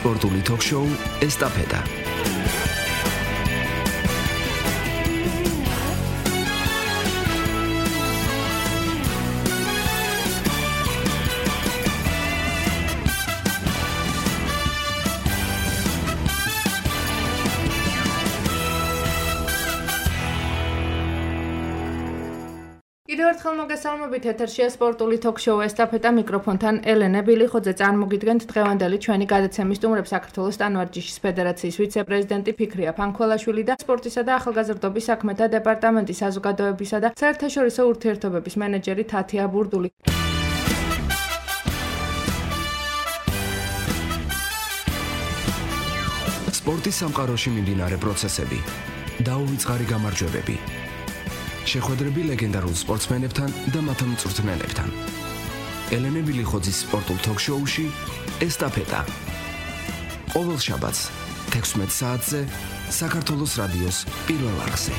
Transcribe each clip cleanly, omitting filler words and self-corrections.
სპორტული ток-შოუ ესტაფეტა. კიდევ ერთხელ მოგესალმებით, ეთერშია სპორტული ток-შოუ ესტაფეტა, მიკროფონთან ელენე ბილიხოძე. წარმოგიდგენთ დღევანდელი ჩვენი გადაცემის სტუმრებს საქართველოს ტანვარჯიშის ფედერაციის ვიცე-პრეზიდენტი ფიქრია ფანქველაშვილი და სპორტისა და ახალგაზრდობის საქმეთა დეპარტამენტის საზოგადოებისა და საერთაშორისო ურთიერთობების მენეჯერი თათია ბურდული. სპორტის სამყაროში მიმდინარე პროცესები, დაუვიწყარი გამარჯვებები. შეხვედრები ლეგენდარულ სპორტსმენებთან და მათ მწვრთნელებთან. ელენე ბილიხოძის სპორტულ ток-შოუში ესტაფეტა. ყოველ შაბათს 16 საათზე საქართველოს რადიოს პირველ არხზე.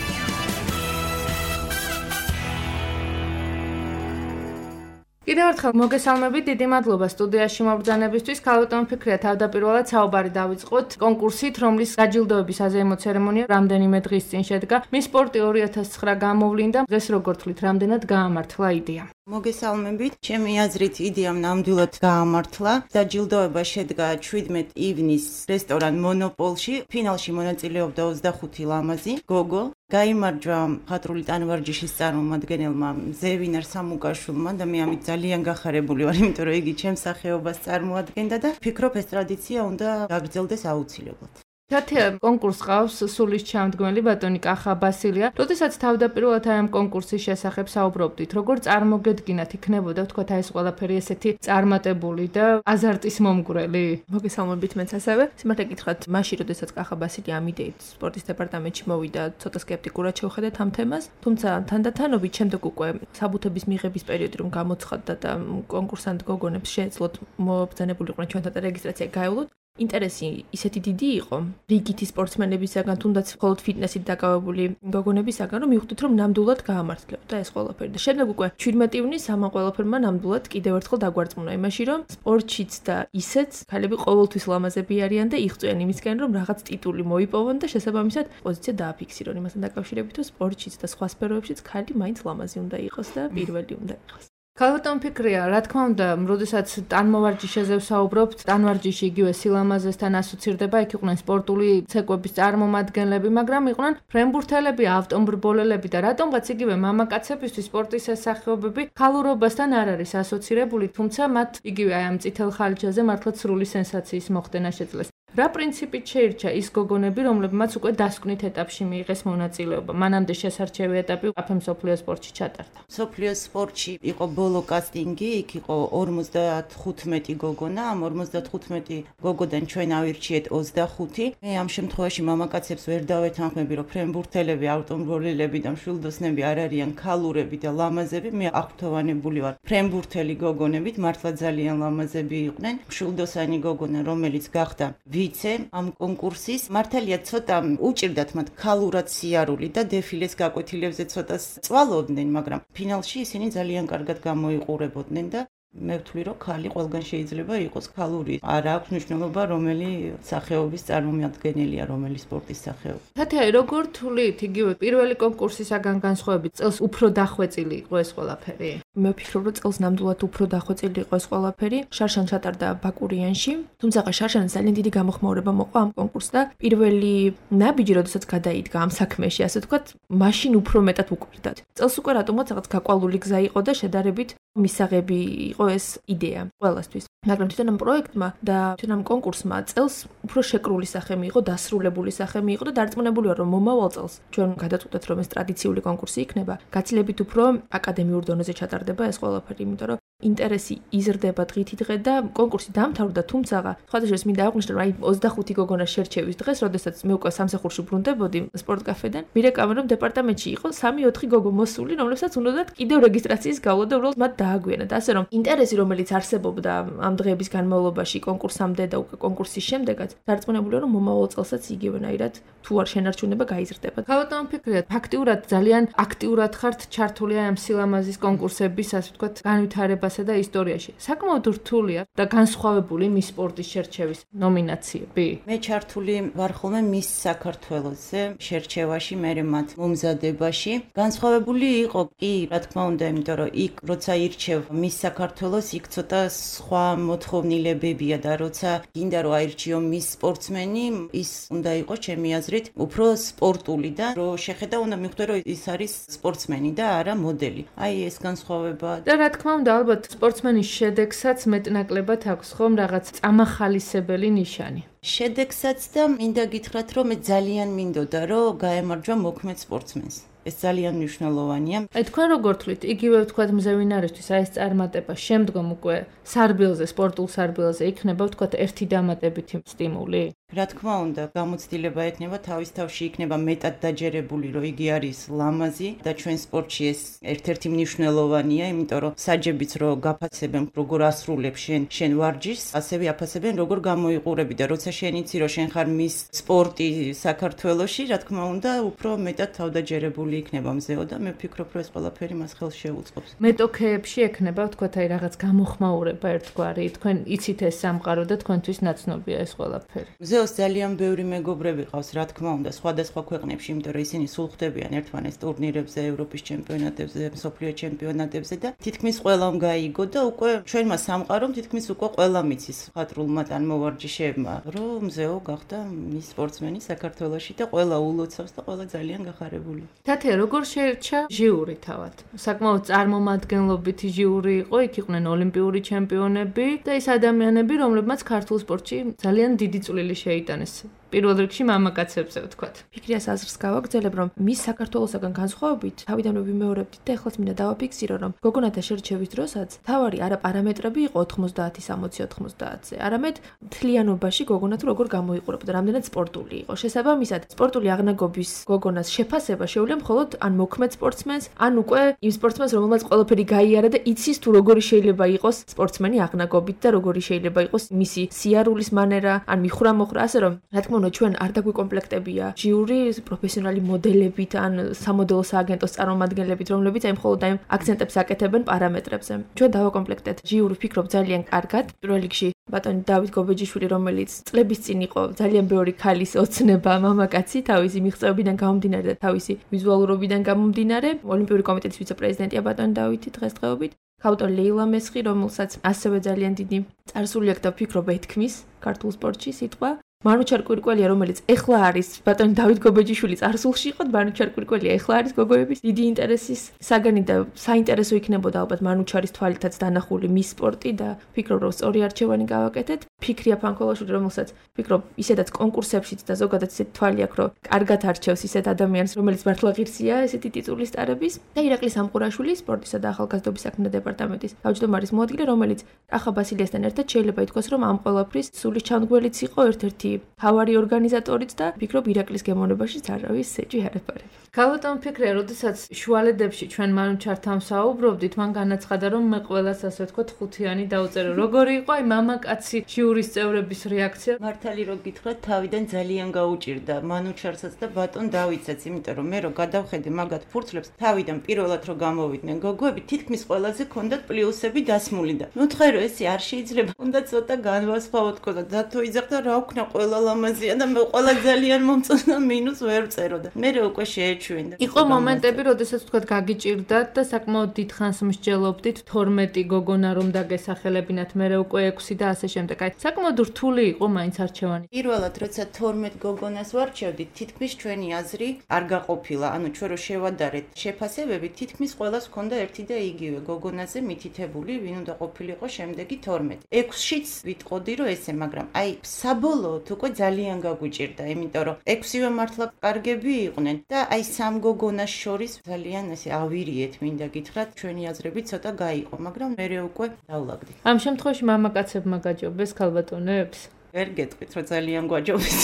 კიდევ ერთხელ მოგესალმებით, დიდი მადლობა სტუდიაში მობრძანებისთვის. ქალბატონ ფიქრია, თავდაპირველად საუბარი დავიწყოთ კონკურსით, რომლის დაჯილდოების საზეიმო ცერემონია რამდენიმე დღის წინ შედგა. მის სპორტი 2009 გამოვლინდა. დღეს როგორ თვლით, რამდენად გაამართლა იდეა? მოგესალმებით. ჩემი აზრით იდეამ ნამდვილად გაამართლა. დაჯილდოება შედგა 17 ივნის რესტორან მონოპოლში. ფინალში მონაწილეობდა 25 ლამაზი გოგო. გაიმარჯვა მხატვრული ტანვარჯიშის წარმომადგენელმა ზევინარ სამუკაშვილმა და მე ამით ძალიან გახარებული ვარ, იმიტომ რომ იგი ჩემს სახეობას წარმოადგენდა და ვფიქრობ, ეს ტრადიცია უნდა გაგრძელდეს აუცილებლად. თათია, კონკურს ყავს სულის ჩამდგმელი ბატონი კახა ბასილია. როდესაც თავდაპირველად ამ კონკურსის შესახებ საუბრობდით, როგორ წარმოგედგინათ იქნებოდა, ვთქვათ, ეს ყველაფერი ესეთი წარმატებული და აზარტის მომგვრელი? მოგესალმებით მეც ასევე. სიმართლე გითხრათ, მაშინ როდესაც კახა ბასილი ამ იდეით სპორტის დეპარტამენტში მოვიდა, ცოტა სკეპტიკურად შევხედეთ ამ თემას, თუმცა თანდათანობით შემდეგ უკვე საბუთების მიღების პერიოდი რომ გამოცხადდა და კონკურსანტ გოგონებს შეეძლოთ მობრძანებულიყვნენ ჩვენთან რეგისტრაცია გაევლოთ. ინტერესი ისეთი დიდი იყო რიგითი სპორტსმენებისაგან, თუნდაც მხოლოდ ფიტნესით დაკავებული გოგონებისაგან, რომ მივხვდით, რომ ნამდვილად გაამართლებდა ეს ყველაფერი. და შემდეგ უკვე 17 ივნის ამ ყველაფერმა ნამდვილად კიდევ ერთხელ დაგვარწმუნა იმაში, რომ სპორტშიც და ისეც ქალები ყოველთვის ლამაზები არიან და იღწვიან იმისკენ, რომ რაღაც ტიტული მოიპოვონ და შესაბამისად პოზიცია დააფიქსირონ იმასთან დაკავშირებით, რომ სპორტშიც და სხვა სფეროებშიც ქალი მაინც ლამაზი უნდა იყოს და პირველი უნდა იყოს. ქალბატონ ფიქრია, რა თქმა უნდა, როდესაც ტანმოვარჯიშეზე ვსაუბრობთ, ტანვარჯიში იგივე სილამაზესთან ასოცირდება, იქ იყვნენ სპორტული ცეკვების წარმომადგენლები, მაგრამ იყვნენ ფრენბურთელები, ავტომბრბოლელები და რატომღაც იგივე მამაკაცებისთვის სპორტის ეს სახეობები ქალურობასთან არ არის ასოცირებული, თუმცა მათ იგივე აი ამ წითელ ხალიჩაზე მართლაც სრული სენსაციის მოხდენა შეძლეს. რა პრინციპით შეირჩა ის გოგონები, რომლებმაც უკვე დასკვნით ეტაპში მიიღეს მონაწილეობა? მანამდე შესარჩევი ეტაპი აფემ მსოფლიო სპორტში ჩატარდა. მსოფლიო სპორტში იყო ბოლო კასტინგი, იქ იყო 55 გოგონა, ამ 55 გოგოდან ჩვენ ავირჩიეთ 25. მე ამ შემთხვევაში მამაკაცებს ვერ დავეთანხმები, რომ ფრენბურთელები, ავტომბრბოლელები და მშვილდოსნები არ არიან ქალურები და ლამაზები. მე აღფრთოვანებული ვარ ფრენბურთელი გოგონებით, მართლა ძალიან ლამაზები იყვნენ. მშვილდოსანი გოგონა, რომელიც გახდა ამ კონკურსის მართალია ცოტა უჭირდათ მათ ქალურად სიარული და დეფილეს გაკვეთილებზე ცოტა წვალობდნენ, მაგრამ ფინალში ისინი ძალიან კარგად გამოიყურებოდნენ და მე ვთვლი, რომ ქალი ყველგან შეიძლება იყოს ქალური. არ აქვს მნიშვნელობა, რომელი სახეობის წარმომადგენელია, რომელი სპორტის სახეობა. თათია, როგორ თვლით, იგივე პირველი კონკურსისაგან განსხვავებით, წელს უფრო დახვეწილი იყო ეს ყველაფერი? მე ვფიქრობ, რომ წელს ნამდვილად უფრო დახვეწილი იყო ეს ყველაფერი. შარშან ჩატარდა ბაკურიანში, თუმცა შარშანის ძალიან დიდი გამოხმაურება მოყვა ამ კონკურსს და პირველი ნაბიჯი, როდესაც გადაიდგა ამ საქმეში, ასე ვთქვათ, მაშინ უფრო მეტად უკვირდათ. წელს უკვე რატომაც რაღაც გაყვალული გზა იყო და შედარებით მისაღები იყო ეს იდეა ყველასთვის. მაგრამ თვითონ ამ პროექტმა და თვითონ ამ კონკურსმა წელს უფრო შეკრული სახე მიიღო, დასრულებული სახე მიიღო და დარწმუნებული ვარ, რომ მომავალ წელს ჩვენ გადაწყვეტეთ, რომ ეს ტრადიციული კონკურსი იქნება, გაცილებით უფრო აკადემიურ დონეზე ჩატარდება ეს ყველაფერი, იმიტომ რომ ინტერესი იზრდება დღითი დღე და კონკურსი დამთავრდა, თუმცა სხვადასხვა მინდა აღვნიშნო, რომ აი 25 გოგონა შერჩევის დღეს, როდესაც მე უკვე სამსახურში ბრუნდებოდი სპორტ კაფედან, მირეკავენ, რომ დეპარტამენტში იყო 3-4 გოგო მოსული, რომლებსაც უნდათ კიდევ რეგისტრაციის გავლა და უბრალოდ მათ დააგვიანათ. ასე რომ ინტერესი, რომელიც არსებობდა ამ დღეების განმავლობაში კონკურსამდე და უკვე კონკურსის შემდეგაც, დარწმუნებული რომ მომავალ წელსაც იგივენაირად თუ არ შენარჩუნება გაიზრდება. ქალბატონ ფიქრია, ფაქტიურად ძალიან აქტიურად ხართ ჩართული ამ სილამაზის კონკურსების, ასე ვთქვათ, განვითარებას ცხოვრებასა და ისტორიაში. საკმაოდ რთულია და განსხვავებული მის სპორტის შერჩევის ნომინაციები. მე ჩართული ვარ ხოლმე მის საქართველოსზე შერჩევაში, მე მათ მომზადებაში. განსხვავებული იყო კი, რა თქმა უნდა, იმიტომ რომ იქ როცა ირჩევ მის საქართველოს, იქ ცოტა სხვა მოთხოვნილებებია და როცა გინდა რომ აირჩიო მის სპორტსმენი, ის უნდა იყოს ჩემი აზრით უფრო სპორტული და რომ შეხედა უნდა მიხვდე რომ ის არის სპორტსმენი და არა მოდელი. აი ეს განსხვავება. და რა თქმა უნდა, ალბათ სპორტსმენის შედეგსაც მეტნაკლებად აქვს ხომ რაღაც წამახალისებელი ნიშანი. შედეგსაც და მინდა გითხრათ რომ მე ძალიან მინდოდა რომ გაემარჯვა მოქმედ სპორტსმენს. ეს ძალიან მნიშვნელოვანია. აი თქვენ როგორ თვლით, იგივე ვთქვათ მზევინარისთვის აი ეს წარმატება შემდგომ უკვე სარბილზე, სპორტულ სარბილზე იქნება ვთქვათ ერთი დამატებითი სტიმული? რა თქმა უნდა, გამოცდილება ექნება თავის თავში იქნება მეტად დაჯერებული, რომ იგი არის ლამაზი და ჩვენ სპორტში ეს ერთ-ერთი მნიშვნელოვანია, იმიტომ რომ საჯებიც რო გაფასებენ, როგორ ასრულებ შენ ვარჯიშს, ასევე აფასებენ როგორ გამოიყურები და როცა შენ იცი რომ შენ ხარ მის სპორტი საქართველოში, რა თქმა უნდა, უფრო მეტად თავდაჯერებული იქნება მზეო და მე ვფიქრობ, რომ ეს ყველაფერი მას ხელს შეუწყობს. მეტოქეებში ექნება ვთქვათ აი რაღაც გამოხმაურება ერთგვარი, თქვენ იცით ეს სამყარო და თქვენთვის ნაცნობია ეს ყველაფერი. მზეოს ძალიან ბევრი მეგობრები ყავს, რა თქმა უნდა, სხვადასხვა ქვეყნებში, იმიტომ რომ ისინი სულ ხვდებიან ერთმანეთს ტურნირებზე, ევროპის ჩემპიონატებზე, მსოფლიო ჩემპიონატებზე და თითქმის ყველამ გაიგო და უკვე ჩვენმა სამყარომ თითქმის უკვე ყველა მიცის ხატრულმა ტანმოვარჯიშეებმა, რომ მზეო გახდა მის სპორტსმენი საქართველოში და ყველა ულოცავს და ყველა ძალიან გახარებული. თათია, როგორ შეერჩა ჟიური თავად? საკმაოდ წარმომადგენლობითი ჟიური იყო, იქ იყვნენ ოლიმპიური ჩემპიონები და ის ადამიანები, რომლებმაც ქართულ სპორტში ძალიან დიდი წვლილი შეიტანეს. პირველ რიგში მამაკაცებზე ვთქვათ. ფიქრიას აზრს გავაგრძელებ, რომ მის საქართველოსაგან განსხვავებით, თავიდანვე ვიმეორებდით და ეხლაც მინდა დავაფიქსირო, რომ გოგონათა შერჩევის დროსაც თავარი არა პარამეტრები იყო 90-60-90-ზე, არამედ მთლიანობაში გოგონა თუ როგორ გამოიყურებოდა, რამდენად სპორტული იყო. შესაბამისად, სპორტული აღნაგობის გოგონას შეფასება შეუძლია მხოლოდ ან მოქმედ სპორტსმენს, ან უკვე იმ სპორტსმენს, რომელმაც ყველაფერი გაიარა და იცის თუ როგორი შეიძლება იყოს სპორტსმენი აღნაგობით და როგორი შეიძლება იყოს მისი სიარულის მანერა, ან მიხვრა-მოხრა, ასე რომ, რა თქმა უნდა, ჩვენ არ დაგვიკომპლექტებია ჟიური პროფესიონალი მოდელებით ან სამოდელო სააგენტოს წარმომადგენლებით, რომლებიც აი მხოლოდ აი აქცენტებს აკეთებენ პარამეტრებზე. ჩვენ დავაკომპლექტეთ ჟიური, ვფიქრობ, ძალიან კარგად. პირველ რიგში ბატონი დავით გობეჯიშვილი, რომელიც წლების წინ იყო ძალიან ბევრი ქალის ოცნება მამაკაცი, თავისი მიღწევებიდან გამომდინარე და თავისი ვიზუალურობიდან გამომდინარე. ოლიმპიური კომიტეტის ვიცე-პრეზიდენტია ბატონი დავითი დღესდღეობით. ავტორი ლეილა მესხი, რომელსაც ასევე ძალიან დიდი წარსული აქვს და ვფიქრობ ეთქმის ქართულ სპორტში სიტყვა. მანუჩარ კვირკველია, რომელიც ეხლა არის ბატონი დავით გობეჯიშვილის წარსულში იყო, მანუჩარ კვირკველია ეხლა არის გოგოების დიდი ინტერესის საგანი და საინტერესო იქნებოდა ალბათ მანუჩარის თვალითაც დანახული მის სპორტი და ვფიქრობ, რომ სწორი არჩევანი გავაკეთეთ. ფიქრია ფანქოლაშვილი, რომელსაც ვფიქრობ, ისედაც კონკურსებშიც და ზოგადად ისეთი თვალი აქვს, რომ კარგად არჩევს ისეთ ადამიანს, რომელიც მართლა ღირსია ესეთი ტიტულის ტარების და ირაკლი სამყურაშვილი, სპორტისა და ახალგაზრდობის საქმეთა დეპარტამენტის თავმჯდომარის მოადგილე, რომელიც კახა ბასილიასთან ერთად შეიძლება ითქვას, რომ ამ ყველაფრის სულის ჩამდგმელიც იყო, ერთ-ერთი თავარი ორგანიზატორიც და ვფიქრობ, ირაკლის გემოვნებაშიც არავის სეჯი არ ეპარება. ქალბატონ ფიქრია, როდესაც შუალედებში ჩვენ მანუჩართან ვსაუბრობდით, მან განაცხადა, რომ მე ყველას ასე ვთქვათ ხუთიანი დავწერო. როგორი იყო აი მამაკაცი ჟიურის წევრების რეაქცია? მართალი რო გითხრათ, თავიდან ძალიან გაუჭირდა მანუჩარსაც და ბატონ დავითსაც, იმიტომ რომ მე რო გადავხედე მაგათ ფურცლებს, თავიდან პირველად რო გამოვიდნენ გოგოები, თითქმის ყველაზე ქონდათ პლუსები დასმული და ნუთხე რომ ესე არ შეიძლება, უნდა ცოტა განვასხვაოთ თქო და დათო იძახდა რა ვქნა ყველა ლამაზია და მე ყველა ძალიან მომწონდა მინუს ვერ წეროდა. მე უკვე შეეჩვენა. იყო მომენტები, როდესაც თქვათ გაგიჭირდათ და საკმაოდ დიდ ხანს მსჯელობდით 12 გოგონა რომ დაგესახელებინათ, მე უკვე 6 და ასე შემდეგ. აი, საკმაოდ რთული იყო მაინც არჩევანი. პირველად როცა 12 გოგონას ვარჩევდით, თითქმის ჩვენი აზრი არ გაყოფილა. ანუ ჩვენ რო შევადარეთ შეფასებები, თითქმის ყველას ჰქონდა ერთი და იგივე გოგონაზე მითითებული, ვინ უნდა ყოფილიყო შემდეგი 12. 6-შიც ვიტყოდი რომ ესე, მაგრამ აი საბოლოოდ უკვე ძალიან გაგვიჭირდა, იმიტომ რომ 6-ვე მართლა კარგები იყვნენ და აი სამ გოგონას შორის ძალიან ესე ავირიეთ, მინდა გითხრათ, ჩვენი აზრები ცოტა გაიყო, მაგრამ მე უკვე დავლაგდი. ამ შემთხვევაში მამაკაცებმა გაჯობეს ქალბატონებს? ვერ გეტყვით, რომ ძალიან გვაჯობეს.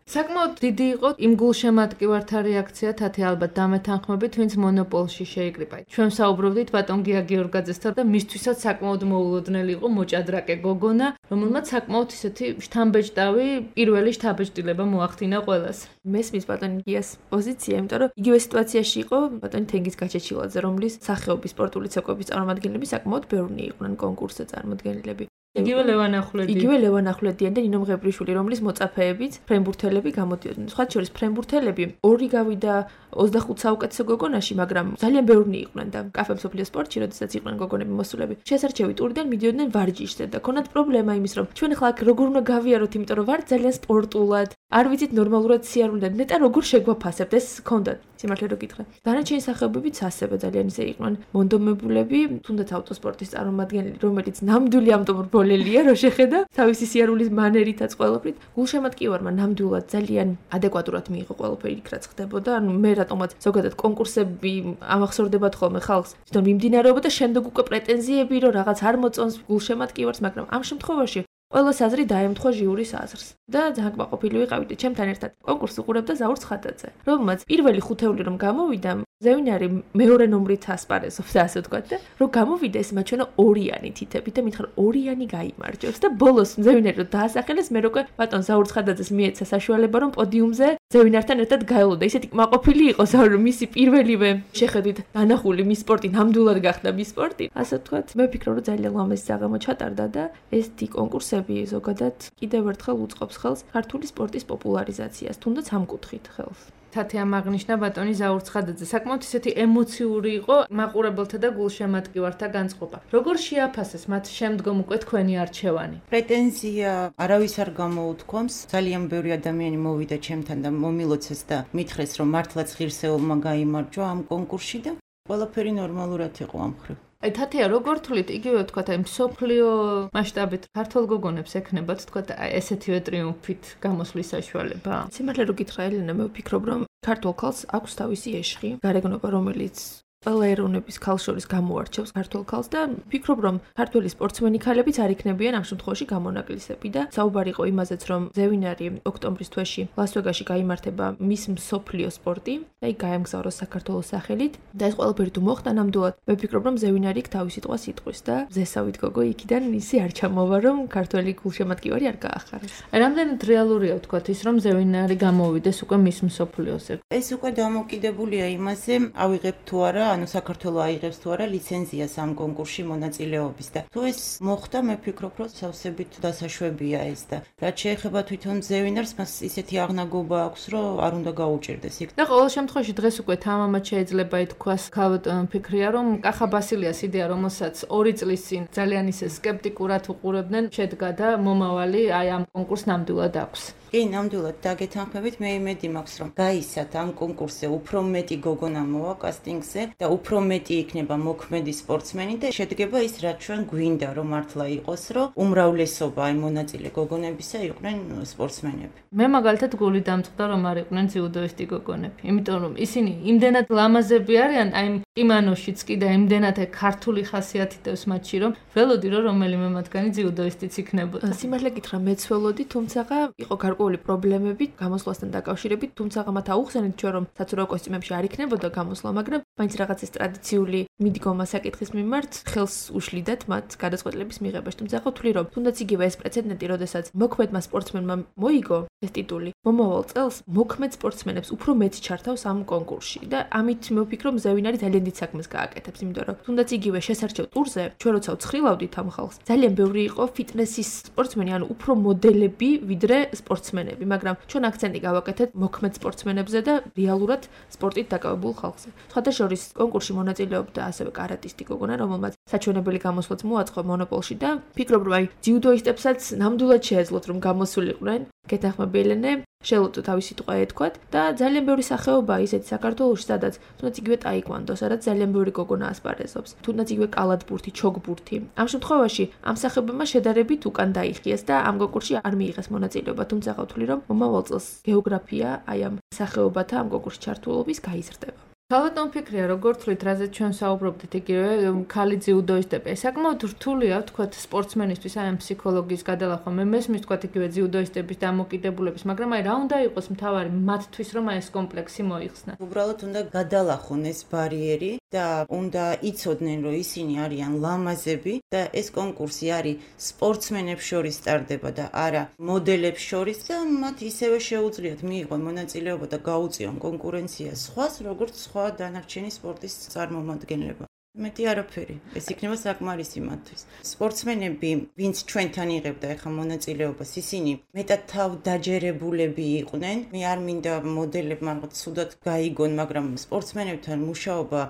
საკმაოდ დიდი იყო იმ გულშემატკივართა რეაქცია, თათი ალბათ დამეთანხმებით, ვინც მონოპოლში შეიკრიბა. ჩვენ საუბრობდით ბატონ გია გიორგაძესთან და მისთვისაც საკმაოდ მოულოდნელი იყო მოჭადრაკე გოგონა, რომელმაც საკმაოდ ისეთი შთამბეჭდავი პირველი შთაბეჭდილება მოახდინა ყველას. მესმის ბატონ გიას პოზიცია, იმიტომ რომ იგივე სიტუაციაში იყო ბატონი თენგიზ გაჩეჩილაძე, რომლის სახეობის სპორტული ცეკვების წარმომადგენლები საკმაოდ ბევრი იყვნენ კონკურსზე წარმოდგენილები. იგივე ლევან ახვლედიანი და ნინო მღებრიშვილი, რომლის მოწაფეებიც ფრენბურთელები გამოდიოდნენ. სხვა შორის ფრენბურთელები ორი გავიდა 25 საუკეთესო გოგონაში, მაგრამ ძალიან ბევრი იყვნენ და კაფე მსოფლიო სპორტში, როდესაც იყვნენ გოგონები მოსულები, შესარჩევი ტურიდან მიდიოდნენ ვარჯიშზე და ქონათ პრობლემა იმის, რომ ჩვენ ახლა აქ როგორ უნდა გავიაროთ, იმიტომ რომ ვარ ძალიან სპორტულად, არ ვიცით ნორმალურად სიარულიდან, ნეტა როგორ შეგვაფასებთ, ეს ჰქონდათ. სიმართლე რო გითხრა. დანარჩენი სახეობებიც ასევე ძალიან ისე იყვნენ მონდომებულები, თუნდაც ავტოსპორტის წარმომადგენელი, რომელიც ნამდვილი ამტომრბოლელია, რო შეხედა თავისი სიარულის მანერითაც ყველაფრით. გულშემატკივარმა ნამდვილად ძალიან ადეკვატურად მიიღო ყველაფერი იქ რაც ხდებოდა. ანუ მე რატომაც ზოგადად კონკურსები ამახსოვრდებათ ხოლმე ხალხს, თვითონ მიმდინარეობა და შემდეგ უკვე პრეტენზიები, რომ რაღაც არ მოწონს გულშემატკივარს, მაგრამ ამ შემთხვევაში ყველა საზრი დაემთხვა ჟიურის აზრს და ძალიან კმაყოფილი ვიყავით ჩემთან ერთად კონკურსს უყურებდა ზაურ ცხადაძე, რომელმაც პირველი ხუთეული რომ გამოვიდა, ზევინარი მეორე ნომრით ასპარეზობდა, ასე ვთქვათ და რომ გამოვიდა ეს მაჩვენა ორიანი თითებით და მითხრა ორიანი გაიმარჯვებს და ბოლოს ზევინარი რომ დაასახელეს, მე უკვე ბატონ ზაურ ცხადაძეს მიეცა საშუალება რომ პოდიუმზე ზევინართან ერთად გაელოდა. ისეთი კმაყოფილი იყო ზაურ მისი პირველივე შეხედვით დანახული მის სპორტი ნამდვილად გახდა მის სპორტი. ასე ვთქვათ, მე ვფიქრობ რომ ძალიან ლამაზი საღამო ჩატარდა და ეს კონკურსები ზოგადად კიდევ ერთხელ უწყობს ხელს ქართული სპორტის პოპულარიზაციას, თუნდაც ამ კუთხით ხელს. თათი ამაღნიშნა ბატონი ზაურ ცხადაძე. საკმაოდ ისეთი ემოციური იყო მაყურებელთა და გულშემატკივართა განწყობა. როგორ შეაფასეს მათ შემდგომ უკვე თქვენი არჩევანი? პრეტენზია არავის არ გამოუთქვამს. ძალიან ბევრი ადამიანი მოვიდა ჩემთან და მომილოცეს და მითხრეს, რომ მართლაც ღირსეულმა გაიმარჯვა ამ კონკურსში და ყველაფერი ნორმალურად იყო ამ მხრივ. თათია, როგორ თვლით, იგივე ვთქვათ, აი მსოფლიო მასშტაბით ქართულ გოგონებს ექნებათ, ვთქვათ, ესეთივე ტრიუმფით გამოსვლის საშუალება? სიმართლე რო გითხრა ელენა, მე ვფიქრობ, რომ ქართულ ქალს აქვს თავისი ეშხი, გარეგნობა, რომელიც ყველა ეროვნების ქალს შორის გამოარჩევს ქართულ ქალს და ვფიქრობ, რომ ქართველი სპორტსმენი ქალებიც არ იქნებიან ამ შემთხვევაში გამონაკლისები და საუბარი იყო იმაზეც, რომ ზევინარი ოქტომბრის თვეში ლას-ვეგასში გაიმართება მის მსოფლიო სპორტი და იქ გაემგზავროს საქართველოს სახელით და ეს ყველაფერი თუ მოხდა ნამდვილად, მე ვფიქრობ, რომ ზევინარი იქ თავისი თვალს იტყვის და ზესავით გოგო იქიდან ისე არ ჩამოვა, რომ ქართველი გულშემატკივარი არ გაახარეს. რამდენად რეალურია ვთქვათ ის, რომ ზევინარი გამოვიდეს უკვე მის მსოფლიოზე? ეს უკვე დამოკიდებულია იმაზე, ავიღებ თუ არა ანუ საქართველოს აიღებს თუ არა ლიცენზიას ამ კონკურსში მონაწილეობის და თუ ეს მოხდა, მე ვფიქრობ, რომ სავსებით დასაშვებია ეს და რაც შეეხება თვითონ ზევინარს, მას ისეთი აღნაგობა აქვს, რომ არ უნდა გაუჭირდეს იქ. და ყოველ შემთხვევაში დღეს უკვე თამამად შეიძლება ითქვას, გავთ ფიქრია, რომ კახა ბასილიას იდეა, რომელსაც 2 წლის წინ ძალიან ისე სკეპტიკურად უყურებდნენ, შედგა და მომავალი აი ამ კონკურსს ნამდვილად აქვს. კი, ნამდვილად დაგეთანხმებით, მე იმედი მაქვს, რომ გაისათ ამ კონკურსზე უფრო მეტი გოგონა მოვა კასტინგზე და უფრო მეტი იქნება მოქმედი სპორტსმენი და შედგება ის, რაც ჩვენ გვინდა, რომ მართლა იყოს, რომ უმრავლესობა აი მონაწილე გოგონებისა იყვნენ სპორტსმენები. მე მაგალითად გული დამწყდა, რომ არ იყვნენ ძიუდოისტი გოგონები, იმიტომ რომ ისინი იმდენად ლამაზები არიან, აი კიმანოშიც კი და იმდენად ქართული ხასიათი დევს მათში, რომ ველოდი რომ რომელიმე მათგანი ძიუდოისტიც იქნებოდა. სიმართლე გითხრა, მეც ველოდი, თუმცა იყო გარკვეული პრობლემები გამოსვლასთან დაკავშირებით, თუმცა მათ აუხსენეთ ჩვენ რომ საცურაო კოსტიუმებში არ იქნებოდა გამოსვლა, მაგრამ მაინც რაღაც ეს ტრადიციული მიდგომა საკითხის მიმართ ხელს უშლიდათ მათ გადაწყვეტილების მიღებაში. თუმცა ვთვლი რომ თუნდაც იგივე ეს პრეცედენტი, როდესაც მოქმედმა სპორტსმენმა მოიგო ეს ტიტული, მომავალ წელს მოქმედ სპორტსმენებს უფრო მეტი ჩართავს ამ კონკურსში და ამით მე ვფიქრობ, ზევინარი ძალიან დიდ საქმეს გააკეთებს, იმიტომ რომ თუნდაც იგივე შესარჩევ ტურზე ჩვენ როცა ვცხრილავდით ამ ხალხს, ძალიან ბევრი იყო ფიტნესის სპორტსმენი, ანუ უფრო მოდელები ვიდრე სპორტსმენები, მაგრამ ჩვენ აქცენტი გავაკეთეთ მოქმედ სპორტსმენებზე და რეალურად სპორტით დაკავებულ ხალხზე. სხვადასხვა კონკურსში მონაწილეობდა ასევე კარატისტი გოგონა, რომელმაც საჩვენებელი გამოსვლაც მოაწყო მონოპოლში და ფიქრობ, რომ აი ძიუდოისტებსაც ნამდვილად შეეძლოთ რომ გამოსულიყვნენ. გეთანხმები ელენე, შელოტო თავისი სიტყვა ეთქვათ და ძალიან ბევრი სახეობაა ისეთი საქართველოში, სადაც თუნდაც იგივე ტაიკვანდო, სადაც ძალიან ბევრი გოგონა ასპარეზობს. თუნდაც იგივე კალათბურთი, ჩოგბურთი. ამ შემთხვევაში ამ სახეობებმა შედარებით უკან დაიხიეს და ამ კონკურსში არ მიიღეს მონაწილეობა, თუმცა ვთვლი რომ მომავალ წელს გეოგრაფია აი ამ სახეობათა ამ კონკურსში ჩართულობის გაიზრდება. თავადონ ფიქრია, როგორ თვლით, რაზეც ჩვენ საუბრობდით, იგივე ქალი ძიუდოისტები. საკმაოდ რთულია, თქვათ, სპორტსმენისთვის აი ამ ფსიქოლოგიის გადალახვა. მე მესმის, თქვათ, იგივე ძიუდოისტების დამოკიდებულების, მაგრამ აი რა უნდა იყოს მთავარი მათთვის, რომ აი ეს კომპლექსი მოიხსნათ. უბრალოდ უნდა გადალახონ ეს ბარიერი და უნდა იცოდნენ, რომ ისინი არიან ლამაზები და ეს კონკურსი არის სპორტსმენებს შორის ტარდება და არა მოდელებს შორის და მათ ისევე შეუძლიათ მიიღონ მონაწილეობა და გაუწიონ კონკურენცია სხვას, როგორც სხვა დანარჩენი სპორტის წარმომადგენლება. მეტი არაფერი. ეს იქნება საკმარისი მათთვის. სპორტსმენები, ვინც ჩვენთან იღებდა ახლა მონაწილეობას, ისინი მეტად თავდაჯერებულები იყვნენ. მე არ მინდა მოდელებმა ცუდად გაიგონ, მაგრამ სპორტსმენებთან მუშაობა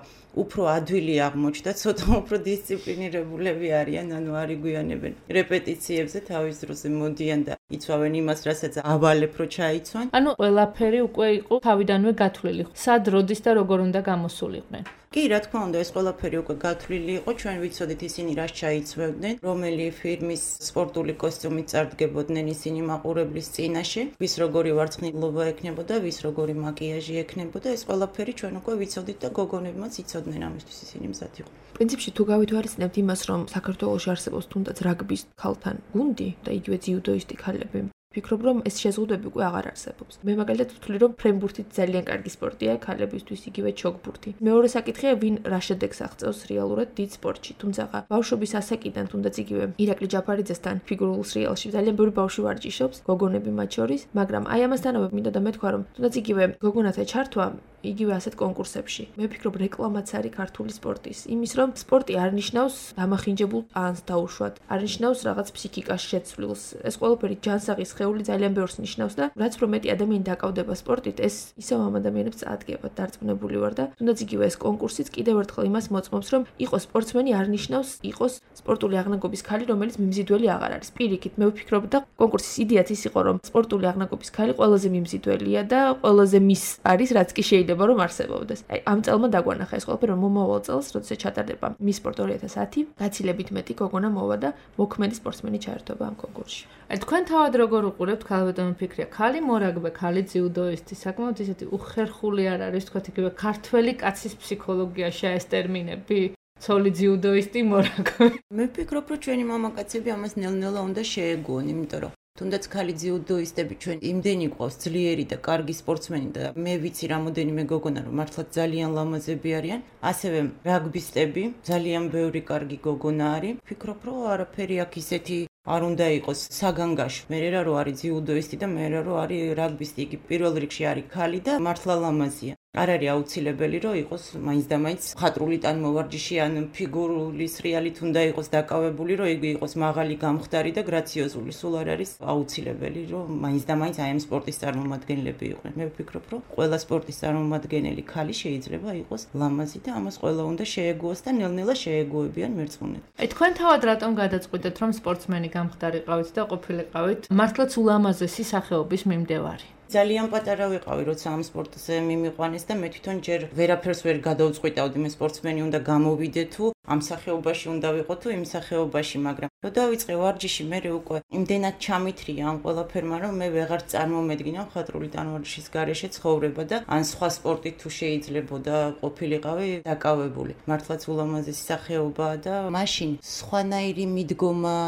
უფრო ადვილი აღმოჩნდა, ცოტა უფრო დისციპლინირებულები არიან, ანუ არ იგვიანებენ რეპეტიციებზე თავის დროზე მოდიან და იცვავენ იმას, რასაც ავალებ რო ჩაიცვან. ანუ ყველაფერი უკვე იყო თავიდანვე გათვლილი. სად, როდის და როგორ უნდა გამოსულიყვნენ. კი, რა თქმა უნდა, ეს ყველაფერი უკვე გათვლილი იყო, ჩვენ ვიცოდით ისინი რას ჩაიცვევდნენ, რომელი ფირმის სპორტული კოსტიუმით წარდგებოდნენ ისინი მაყურებლის წინაშე, ვის როგორი ვარცხნილობა ექნებოდა, ვის როგორი მაკიაჟი ექნებოდა, ეს ყველაფერი ჩვენ უკვე ვიცოდით და გოგონებმაც იცოდნენ ამისთვის ისინი მზად იყვნენ. პრინციპში თუ გავითვალისწინებთ იმას, რომ საქართველოში არსებობს თუნდაც რაგბის ქალთან გუნდი და იგივე ძიუდოისტი ქალები, ვფიქრობ, რომ ეს შეზღუდვები უკვე აღარ არსებობს. მე მაგალითად ვთვლი, რომ ფრენბურთი ძალიან კარგი სპორტია ქალებისთვის, იგივე ჩოგბურთი. მეორე საკითხია, ვინ რა შედეგს აღწევს რეალურად დიდ სპორტში. თუმცა ბავშვობის ასაკიდან, თუნდაც იგივე ირაკლი ჯაფარიძესთან ფიგურულ სრიალში ძალიან ბევრი ბავშვი ვარჯიშობს, გოგონები მათ შორის, მაგრამ აი ამასთანავე მინდა და მეთქვა, რომ თუნდაც იგივე გოგონათა ჩართვა იგივე ასეთ კონკურსებში. მე ვფიქრობ, რეკლამაც არის ქართული სპორტის. იმის, რომ სპორტი არ ნიშნავს დამახინჯებულ პანს დაუშვათ, არ ნიშნავს რაღაც ფსიქიკას შეცვლილს. ეს ყველაფერი ჯანსაღი სხეული ძალიან ბევრს ნიშნავს და რაც უფრო მეტი ადამიანი დაკავდება სპორტით, ეს ისევ ამ ადამიანებს წაადგება. დარწმუნებული ვარ და თუნდაც იგივე ეს კონკურსიც კიდევ ერთხელ იმას მოწმობს, რომ იყოს სპორტსმენი არ ნიშნავს იყოს სპორტული აღნაგობის ქალი, რომელიც მიმზიდველი აღარ არის. პირიქით, მე ვფიქრობ და კონკურსის იდეაც ის იყო, რომ სპორტული აღნაგობის ქალი ყველაზე მიმზიდველია და ყველაზე მის არის, რაც კი შეიძლება რომ არსებობდეს. აი, ამ წელმა დაგვანახა ეს ყველაფერი, რომ მომავალ წელს, როდესაც ჩატარდება მის სპორტ 2010, გაცილებით მეტი გოგონა მოვა და მოქმედი სპორტსმენი ჩაერთვება ამ კონკურსში. აი, თქვენ თავად როგორ უყურებთ ქალბატონო ფიქრია, ქალი მორაგბე, ქალი ძიუდოისტი, საკმაოდ ისეთი უხერხული არ არის, თქვათ იგივე ქართველი კაცის ფსიქოლოგიაში ეს ტერმინები? ცოლი ძიუდოისტი, მორაგბე. მე ვფიქრობ, რომ ჩვენი მამაკაცები ამას ნელ-ნელა უნდა შეეგუონ, იმიტომ რომ თუნდაც ქალი ძიუდოისტები ჩვენ იმდენი გვყავს ძლიერი და კარგი სპორტსმენი და მე ვიცი რამოდენიმე გოგონა რომ მართლაც ძალიან ლამაზები არიან, ასევე რაგბისტები, ძალიან ბევრი კარგი გოგონა არის. ვფიქრობ, რომ არაფერი აქ ისეთი არ უნდა იყოს საგანგაშო. მე რა რო არის ძიუდოისტი და მე რა რო არის რაგბისტი, იგი პირველ რიგში არის ქალი და მართლა ლამაზია. არ არის აუცილებელი რომ იყოს მაინც და მაინც ხატრული ტანმოვარჯიში ან ფიგურული სრიალით უნდა იყოს დაკავებული, რომ იგი იყოს მაღალი, გამხდარი და გრაციოზული. სულ არ არის აუცილებელი რომ მაინც და მაინც აი ამ სპორტის წარმომადგენლები იყვნენ. მე ვფიქრობ, რომ ყველა სპორტის წარმომადგენელი ქალი შეიძლება იყოს ლამაზი და ამას ყველა უნდა შეეგუოს და ნელ-ნელა შეეგუებიან მერწმუნედ. აი, თქვენ თავად რატომ გადაწყვიტეთ, რომ სპორტსმენი გამხდარიყავით და ყოფილიყავით მართლაც ულამაზესი სახეობის მიმდევარი? ძალიან პატარა ვიყავი, როცა ამ სპორტზე მიმიყვანეს და მე თვითონ ჯერ ვერაფერს ვერ გადავწყვიტავდი, მე სპორტსმენი უნდა გამოვიდე თუ ამ სახეობაში უნდა ვიყო თუ იმ სახეობაში, მაგრამ რო დავიწყე ვარჯიში, მე უკვე იმდენად ჩამithრია ამ ყველაფერმა, რომ მე ვეღარ წარმომედგინა ხატრული ტანვარჯიშის გარეშე ცხოვრება და ან სხვა სპორტით თუ შეიძლებოდა ყოფილიყავი დაკავებული. მართლაც ულამაზესი სახეობაა და მაშინ სხვანაირი მიდგომა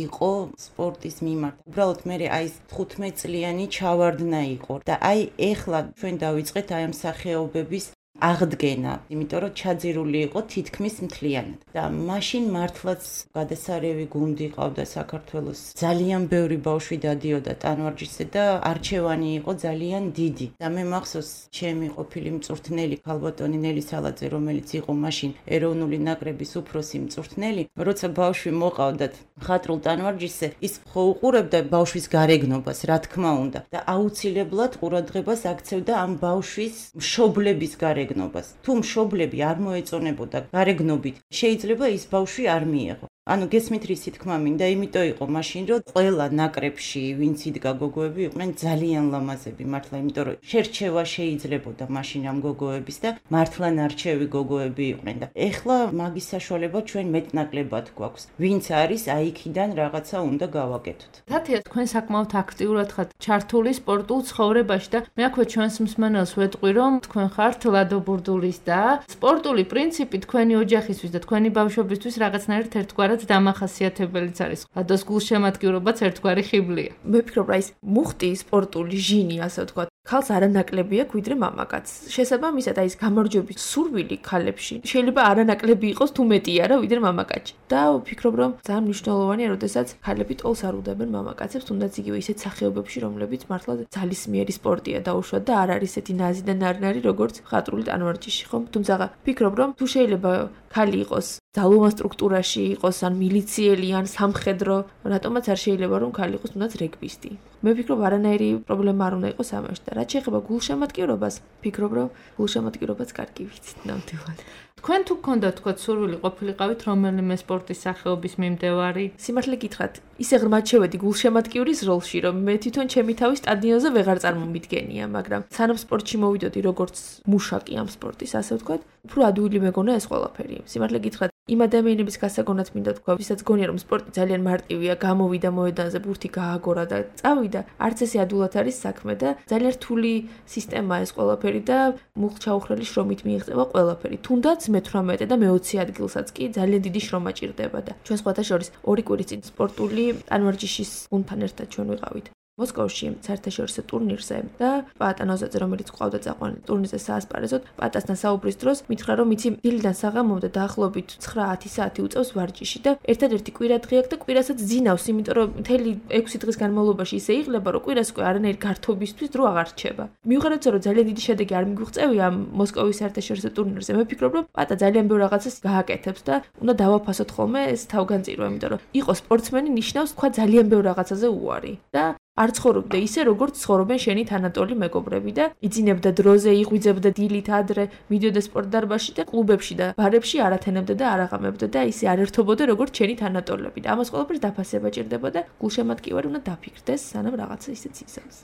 იყო სპორტის მიმართ. უბრალოდ მე აი 15 წლიანი ჩავარდნა იყო და აი ეხლა ჩვენ დავიწყეთ აი ამ სახეობების აღდგენა, იმიტომ რომ ჩაძირული იყო თითქმის მთლიანად. და მაშინ მართლაც გადასარევი გუნდი ყავდა საქართველოს. ძალიან ბევრი ბავშვი დადიოდა ტანვარჯიშზე და არჩევანი იყო ძალიან დიდი. და მე მახსოვს, ჩემი ყოფილი მწვრთნელი ქალბატონი ნელი სალაძე, რომელიც იყო მაშინ ეროვნული ნაკრების უფროსი მწვრთნელი, როცა ბავშვი მოყავდათ ხატრულ ტანვარჯიშზე, ის ხო უყურებდა ბავშვის გარეგნობას, რა თქმა უნდა, და აუცილებლად ყურადღებას აქცევდა ამ ბავშვის მშობლების გარეგნობას. თუ მშობლები არ მოეწონებოდა გარეგნობით, შეიძლება ის ბავშვი არ მიეღო. ანუ გესმით რისი თქმა მინდა, იმიტომ იყო მაშინ რომ ყველა ნაკრებში ვინც იდგა გოგოები იყვნენ ძალიან ლამაზები მართლა, იმიტომ რომ შერჩევა შეიძლებოდა მაშინ ამ გოგოების და მართლა ნარჩევი გოგოები იყვნენ და ეხლა მაგის საშუალება ჩვენ მეტნაკლებად გვაქვს. ვინც არის აიქიდან რაღაცა უნდა გავაკეთოთ. თათია, თქვენ საკმაოდ აქტიურად ხართ ჩართული სპორტულ ცხოვრებაში და მე აქვე ჩვენს მსმენელს ვეტყვი, რომ თქვენ ხართ ლადო ბურდულის და სპორტული პრინციპი თქვენი ოჯახისთვის და თქვენი ბავშვობისთვის რაღაცნაირად ერთგვარად დამახასიათებელიც არის. ლადოს გულშემატკივრობაც ერთგვარი ხიბლია. მე ვფიქრობ, რა ის მუხტი სპორტული ჟინი, ასე ვთქვათ, ქალს არანაკლები აქვს ვიდრე მამაკაცს. შესაბამისად, აი ეს გამარჯვების სურვილი ქალებში შეიძლება არანაკლები იყოს თუ მეტი არა ვიდრე მამაკაცში. და ვფიქრობ, რომ ძალიან მნიშვნელოვანია, როდესაც ქალები ტოლს არ უდევენ მამაკაცებს, თუნდაც იგივე ისეთ სახეობებში, რომლებიც მართლა ძალისმიერი სპორტია დაუშვათ და არ არის ესეთი ნაზი და ნარნარი, როგორც ხატრული ტანვარჯიში, ხომ? თუმცა ვფიქრობ, რომ თუ შეიძლება ქალი იყოს ძალოვან სტრუქტურაში იყოს ან მილიციელი ან სამხედრო, რატომაც არ შეიძლება რომ ქალი იყოს თუნდაც რეგბისტი. მე ვფიქრობ, არანაირი პრობლემა არ უნდა იყოს ამაში და რაც შეეხება გულშემატკივრობას, ვფიქრობ, რომ გულშემატკივრობაც კარგი ვიცით ნამდვილად. თქვენ თუ გქონდათ თქვა სურვილი ყოფილიყავით რომელიმე სპორტის სახეობის მიმდევარი? სიმართლე გითხრათ, ისე ღრმად შევედი გულშემატკივრის როლში, რომ მე თვითონ ჩემი თავი სტადიონზე ვეღარ წარმომიდგენია, მაგრამ სანამ სპორტში მოვიდოდი როგორც მუშაკი ამ სპორტის, ასე ვთქვათ, უფრო ადვილი მეგონა ეს ყველაფერი. სიმართლე გითხრათ, იმ ადამიანების გასაგონად მინდა თქვა, ვისაც გონია რომ სპორტი ძალიან მარტივია, გამოვიდა მოედანზე, ბურთი გააგორა და წავიდა, არც ესე ადვილად არის საქმე და ძალიან რთული სისტემაა ეს ყველაფერი და მუხ-ჩაუხრელი შრომით მიიღწევა ყველაფერი. თუნდაც მე-18 და მე-20 ადგილსაც კი ძალიან დიდი შრომა ჭირდება და ჩვენ სხვათა შორის 2 კვირის წინ სპორტული ტანვარჯიშის გუნდთან ერთად ჩვენ ვიყავით მოსკოვში საერთაშორისო ტურნირზე და პატა ნოზაძე, რომელიც ყავდა წაყვანილი ტურნირზე საასპარეზოდ, პატასთან საუბრის დროს მითხრა, რომ იცი დილიდან საღამომდე დაახლოებით 9-10 საათი უწევს ვარჯიში და ერთადერთი კვირა დღე აქვს და კვირასაც ძინავს, იმიტომ რომ მთელი 6 დღის განმავლობაში ისე იღლება, რომ კვირას უკვე არანაირი გართობისთვის დრო აღარ რჩება. მიუხედავად რომ ძალიან დიდი შედეგი არ მიგვიღწევია ამ მოსკოვის საერთაშორისო ტურნირზე, მე ვფიქრობ, რომ პატა ძალიან ბევრ რაღაცას გააკეთებს და უნდა დავაფასოთ ხოლმე ეს თავგანწირვა, იმიტომ რომ იყო სპორტსმენი ნიშნავს თქვა ძალიან ბევრ რაღაცაზე უარი და არ ცხოვრობდა ისე, როგორც ცხოვრობენ შენი თანატოლი მეგობრები და იძინებდა დროზე, იღვიძებდა დილით ადრე, მიდიოდა სპორტდარბაზში და კლუბებში და ბარებში არ ათენებდა და არ აღამებდა და ისე არ ერთობოდა როგორც შენი თანატოლები და ამას ყველაფერს დაფასება ჭირდება და გულშემატკივარი უნდა დაფიქრდეს, სანამ რაღაცა ისეც იზამს.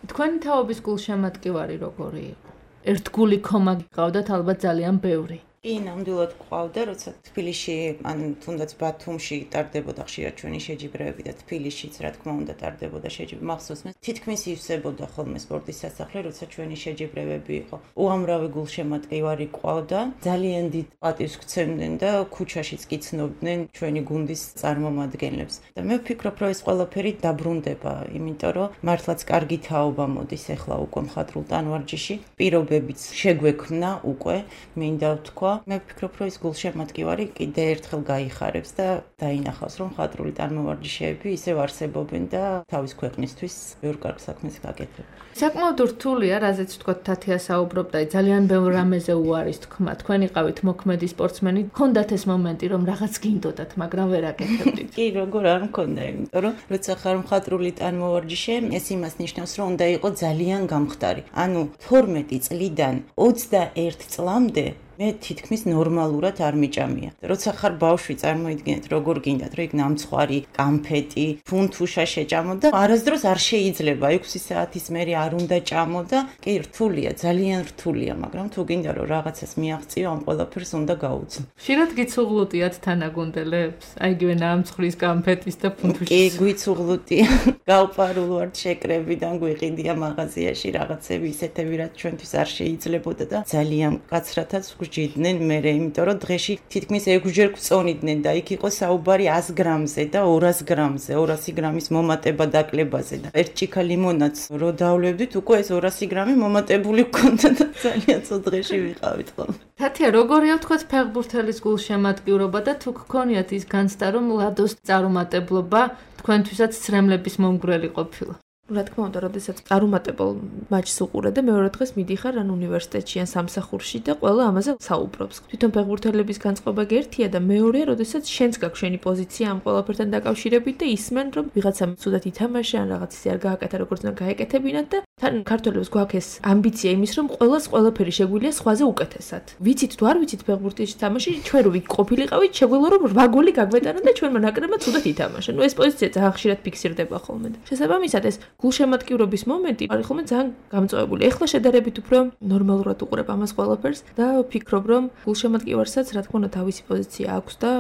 თქვენი თაობის გულშემატკივარი როგორი იყო? ერთგული ხომა გიყავდათ ალბათ ძალიან ბევრი. კი, ნამდვილად ყავდა, როცა თბილისში, ან თუნდაც ბათუმში ტარდებოდა ხშირად ჩვენი შეჯიბრებები და თბილისშიც, რა თქმა უნდა, ტარდებოდა შეჯიბრება. მახსოვს მე თითქმის ივსებოდა ხოლმე სპორტის სასახლე, როცა ჩვენი შეჯიბრებები იყო. უამრავი გულშემატკივარი ყავდა, ძალიან დიდ პატივს გცემდნენ და ქუჩაშიც კი ცნობდნენ ჩვენი გუნდის წარმომადგენლებს. და მე ვფიქრობ, რომ ეს ყველაფერი დაბრუნდება, იმიტომ რომ მართლაც კარგი თაობა მოდის ახლა უკვე მხატვრულ ტანვარჯიში, პირობებიც შეგვექმნა უკვე, მინდა ვთქვა. მე ვფიქრობ, რომ ეს გულშემატკივარი კიდე ერთხელ გაიხარებს და დაინახავს, რომ მხატვრული ტანმოვარჯიშეები ისევ არსებობენ და თავის ქვეყნისთვის ბევრ კარგ საქმეს გაკეთებენ. საკმაოდ რთულია, რაზეც ვთქვათ, თათია საუბრობდა, ძალიან ბევრ რამეზე უარის თქმა. თქვენ იყავით მოქმედი სპორტსმენი, გქონდათ ეს მომენტი, რომ რაღაც გინდოდათ, მაგრამ ვერ აკეთებდით. კი, როგორ არ მქონდა, იმიტომ რომ როცა ხარ მხატვრული ტანმოვარჯიშე, ეს იმას ნიშნავს, რომ უნდა იყოს ძალიან გამხდარი. ანუ 12 წლიდან 21 წლამდე მე თითქმის ნორმალურად არ მიჭამია. როცა ხარ ბავშვი, წარმოიდგინეთ, როგორ გინდათ, რომ იქ ნამცხვარი, კამფეტი, ფუნთუშა შეჭამო და არასდროს არ შეიძლება 6 საათის მერე არ უნდა ჭამო და კი რთულია, ძალიან რთულია, მაგრამ თუ გინდა რომ რაღაცას მიაღწიო, ამ ყველაფერს უნდა გაუძლო. ხშირად გიცუღლუტიათ თანაგუნდელებს? აი იგივე ნამცხვრის, კამფეტის და ფუნთუშის. კი, გვიცუღლუტია. გავპარულ ვართ შეკრებიდან, გვიყიდია მაღაზიაში რაღაცები ისეთები, რაც ჩვენთვის არ შეიძლებოდა და ძალიან კაცრათაც ჭიდნენ მე, იმიტომ რომ დღეში თითქმის 6 ჯერ გვწონიდნენ და იქ იყო საუბარი 100 გრამზე და 200 გრამზე, 200 გრამის მომატება დაკლებაზე და ერთ ჭიქა ლიმონადს რო დავლევდით, უკვე ეს 200 გრამი მომატებული გქონდა და ძალიან ცუდ დღეში ვიყავით ხოლმე. თათია, როგორია ვთქვათ ფეხბურთელის გულშემატკივრობა და თუ გქონიათ ის განცდა, რომ ლადოს წარუმატებლობა თქვენთვისაც ცრემლების მომგვრელი ყოფილა? რა თქმა უნდა, როდესაც წარუმატებელ მატჩს უყურე და მეორე დღეს მიდიხარ ან უნივერსიტეტში ან სამსახურში და ყველა ამაზე საუბრობს. თვითონ ფეხბურთელების განწყობა გერთია და მეორეა, როდესაც შენც გაქვს შენი პოზიცია ამ ყველაფერთან დაკავშირებით და ისმენ, რომ ვიღაცამ ცუდად ითამაშა ან რაღაც ისე არ გააკეთა, როგორც უნდა გაეკეთებინათ და თან ქართველებს გვაქვს ეს ამბიცია იმის, რომ ყველაფერი შეგვიძლია სხვაზე უკეთესად. ვიცით თუ არ ვიცით ფეხბურთის თამაში, ჩვენ რო ვიყოფილიყავით, შეგვეძლო რომ 8 გოლი გაგვეტანა და ჩვენმა ნაკრებმა ცუდად ითამაშა. ეს პოზიცია ძალიან ხშირად ფიქსირდება ხოლმე. შესაბამისად ეს გულშემატკივრობის მომენტი არის ხოლმე ძალიან გამწვავებული. ეხლა შედარებით უფრო ნორმალურად უყურებ ამას ყველაფერს და ვფიქრობ, რომ გულშემატკივარსაც რა თქმა უნდა თავისი პოზიცია აქვს და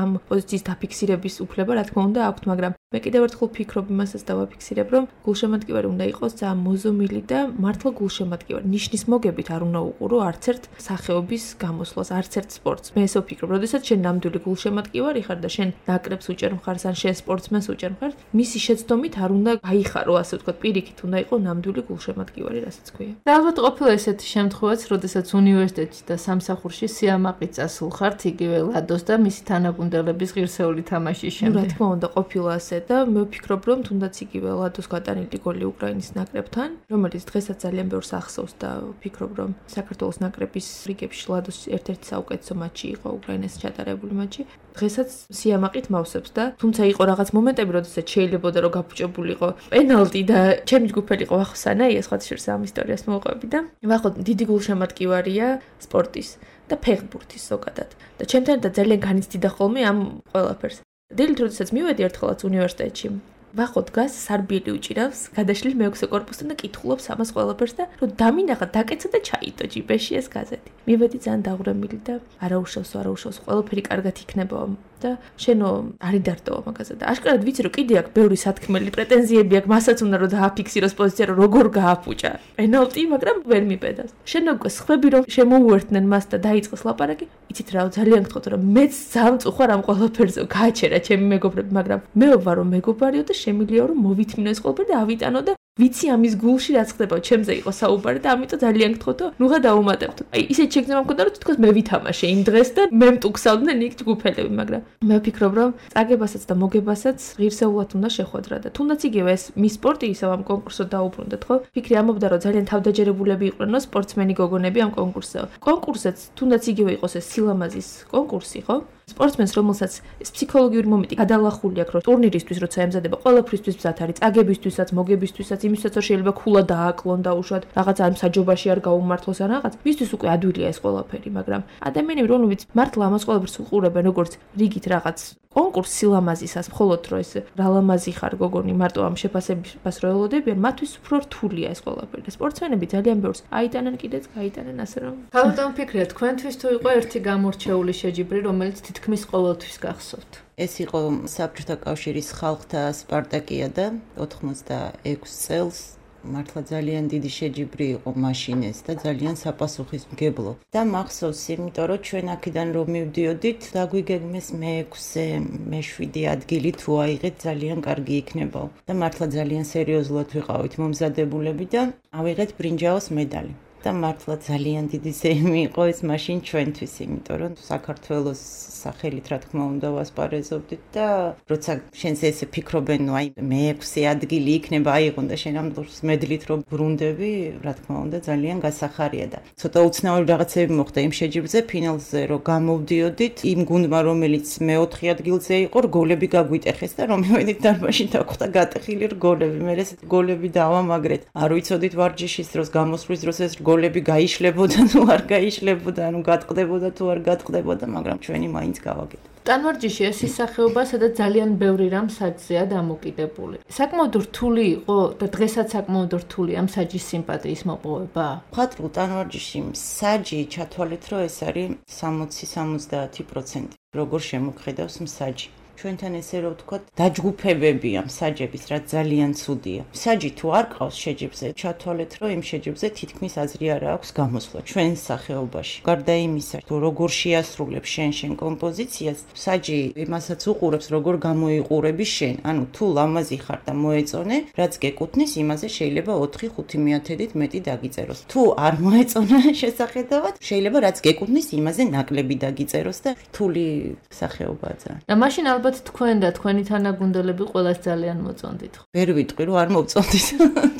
ამ პოზიციის დაფიქსირების უფლება რა თქმა უნდა აქვს, მაგრამ მე კიდევ ერთხელ ვფიქრობ იმასაც და ვაფიქსირებ, რომ გულშემატკივარი უნდა იყოს ძალიან მოზომილი და მართლა გულშემატკივარი. ნიშნის მოგებით არ უნდა უყურო არც ერთ სახეობის გამოსვლას, არც ერთ სპორტს. მე ესე ვფიქრობ, როდესაც შენ ნამდვილი გულშემატკივარი ხარ და შენ ნაკრებს უჭერ მხარს ან შენ სპორტსმენს უჭერ მხარს, მისი შეცდომით არ უნდა გაიხარო, ასე ვთქვათ, პირიქით უნდა იყოს ნამდვილი გულშემატკივარი, რასაც ქვია. და ალბათ ყოფილა ესეთი შემთხვევაც, როდესაც უნივერსიტეტში და სამსახურში სიამაყით წასულ ხართ იგივე ლადოს და მისი თანაგუნდელების ღირსეული თამაშის შემდეგ. რა თქმა უნდა, ყოფილა ასე და მე ვფიქრობ, რომ თუნდაც იგივე ლადოს გატანილი გოლი უკრაინის ნაკრებთან, რომელიც დღესაც ძალიან ბევრს ახსოვს და ვფიქრობ, რომ საქართველოს ნაკრების რიგებში ლადოს ერთ-ერთი საუკეთესო მატჩი იყო უკრაინას ჩატარებული მატჩი. დღესაც სიამაყით მავსებს და თუმცა იყო რაღაც მომენტები, როდესაც შეიძლებოდა რომ გაფუჭებულიყო პენალტი და ჩემი ჯგუფელი იყო ვახო სანაია, სხვა შორს ამ ისტორიას მოვყვები და ვახო დიდი გულშემატკივარია სპორტის და ფეხბურთის ზოგადად და ჩემთან და ძალიან განიცდიდა ხოლმე ამ ყველაფერს. დილით როდესაც მივედი ერთხელაც უნივერსიტეტში ვახო დგას სარბიელი უჭირავს, გადაშლილი მეექვსე კორპუსთან და კითხულობს ამას ყველაფერს და რომ დამინახა, დაკეცა და ჩაიდო ჯიბეში ეს გაზეთი. მივედი ძალიან დაღვრემილი და არაუშავს, ყველაფერი კარგად იქნება და შენო არი დარტოვა მაგაზე და აშკარად ვიცი რომ კიდე აქვს ბევრი სათქმელი პრეტენზიები აქვს, მასაც უნდა რომ დააფიქსიროს პოზიცია, რომ როგორ გააფუჭა პენალტი, მაგრამ ვერ მიპედავს. შენო სხვები რომ შემოუერთდნენ მას და დაიწყეს ლაპარაკი, იცით რა, ძალიან გთხოვთ რომ მეც ძალიან წუხარ ამ ყველაფერზე, გააჩერა ჩემი მეგობრები, მაგრამ მე ვარ რომ მეგობარიო და შემიძლია რომ მოვითმინო ეს ყველაფერი და ავიტანო და ვიცი ამის გულში რაც ხდება, ჩემზე იყო საუბარი და ამიტომ ძალიან გთხოვთო, ნუღა დაუმატებთო. აი ისეთ შეგრძნება მქონდა რომ თითქოს მე ვითამაშე იმ დღეს და მე მტუქსავდნენ იქ ჯგუფელები, მაგრამ მე ვფიქრობ რომ წაგებასაც და მოგებასაც ღირსეულად უნდა შეხვედრა და თუნდაც იგივე ეს მის სპორტი ისევ ამ კონკურსზე დაუბრუნდეთ, ხო? ფიქრი ამობდა რომ ძალიან თავდაჯერებულები იყვნენო სპორტსმენი გოგონები ამ კონკურსზე. კონკურსზეც თუნდაც იგივე იყოს ეს სილამაზის კონკურსი, ხო? სპორტსმენს რომელსაც ეს ფსიქოლოგიური მომენტი გადალახული აქვს, რომ ტურნირისთვის როცა ემზადება, ყველაფრისთვის მზად არის, წაგებისთვისაც, მოგებისთვისაც, იმისთვისაც რომ შეიძლება ქულა დააკლონ და უშუალოდ რაღაც ამ საჯობაში არ გაუმართლოს ან რაღაც, მისთვის უკვე ადვილია ეს ყველაფერი, მაგრამ ადამიანები რომლებიც მართლა ამას ყველაფერს უყურებენ როგორც რიგით რაღაც კონკურს სილამაზისას, მხოლოდ რომ ეს რა ლამაზი ხარ გოგონი, მარტო ამ შეფასებას რო ელოდებიან, მათთვის უფრო რთულია ეს ყველაფერი. და სპორტსმენები ძალიან ბევრს აიტანენ კიდეც, გაიტანენ ასე რომ. თავიდან ვფიქრია, თქვენთვის თუ იყო ერთი გამორჩეული შეჯიბრი, რომელიც თითქმის ყოველთვის გახსოვთ. ეს იყო საბჭოთა კავშირის ხალხთა სპარტაკიადა 86 წელს. მართლა ძალიან დიდი შეჯიბრი იყო მაშინ ეს და ძალიან საპასუხისმგებლო. და მახსოვს, იმიტომ რომ ჩვენ აქედან რომ მივდიოდით, დაგვიგეგმეს მე-6, მე-7 ადგილი თუ აიღეთ ძალიან კარგი იქნებაო. და მართლა ძალიან სერიოზულად ვიყავით მომზადებულები და ავიღეთ ბრინჯაოს მედალი. და მართლა ძალიან დიდი ზეიმი იყო ეს მაშინ ჩვენთვის, იმიტომ რომ საქართველოს სახელით რა თქმა უნდა ვასპარეზობდით და როცა შენს ესე ფიქრობენ, ნუ აი მე-6 ადგილი იქნება აიღონ და შენ ამ დროს მედლით რომ ბრუნდები, რა თქმა უნდა ძალიან გასახარია და ცოტა უცნაური რაღაცები მოხდა იმ შეჯიბრზე, ფინალზე რომ გამოვდიოდით, იმ გუნდმა რომელიც მე-4 ადგილზე იყო, რგოლები გაგვიტეხეს და რომ მივედით დარბაზში დახვდა გატეხილი რგოლები, მე ეს რგოლები დავამაგრეთ. არ ვიცოდით ვარჯიშის დროს, გამოსვლის დროს ეს გოლები გაიშლებოდა თუ არ გაიშლებოდა, ანუ გატყდებოდა თუ არ გატყდებოდა, მაგრამ ჩვენი მაინც გავაკეთეთ. ტანვარჯიში ეს ის სახეობა, სადაც ძალიან ბევრი რამ საჯზეა დამოკიდებული. საკმაოდ რთული იყო და დღესაც საკმაოდ რთული ამ საჯის სიმპათიის მოპოვება. მხატვრულ ტანვარჯიში საჯი ჩათვალეთ, რომ ეს არის 60-70%. როგორ შემოგხედავს მსაჯი. ჩვენთან ესე რომ ვთქვათ, დაჯგუფებებია მსაჯების, რაც ძალიან ცუდია. მსაჯი თუ არ ყავს შეჯიბრზე, ჩათვალეთ, რომ იმ შეჯიბრზე თითქმის აზრი არ აქვს გამოსვლა ჩვენ სახეობაში. გარდა იმისა, თუ როგორ შეასრულებს შენ კომპოზიციას, მსაჯი იმასაც უყურებს, როგორ გამოიყურები შენ. ანუ თუ ლამაზი ხარ და მოეწონე, რაც გეკუთვნის, იმაზე შეიძლება 4-5 მეტი დაგიწეროს. თუ არ მოეწონა შესახედავად, შეიძლება რაც გეკუთვნის, იმაზე ნაკლები დაგიწეროს და რთული სახეობაა ძალიან. და მაშინ ალბათ თქვენ და თქვენი თანაგუნდელები ყველას ძალიან მოწონდით. ვერ ვიტყვი რომ არ მოვწონდით.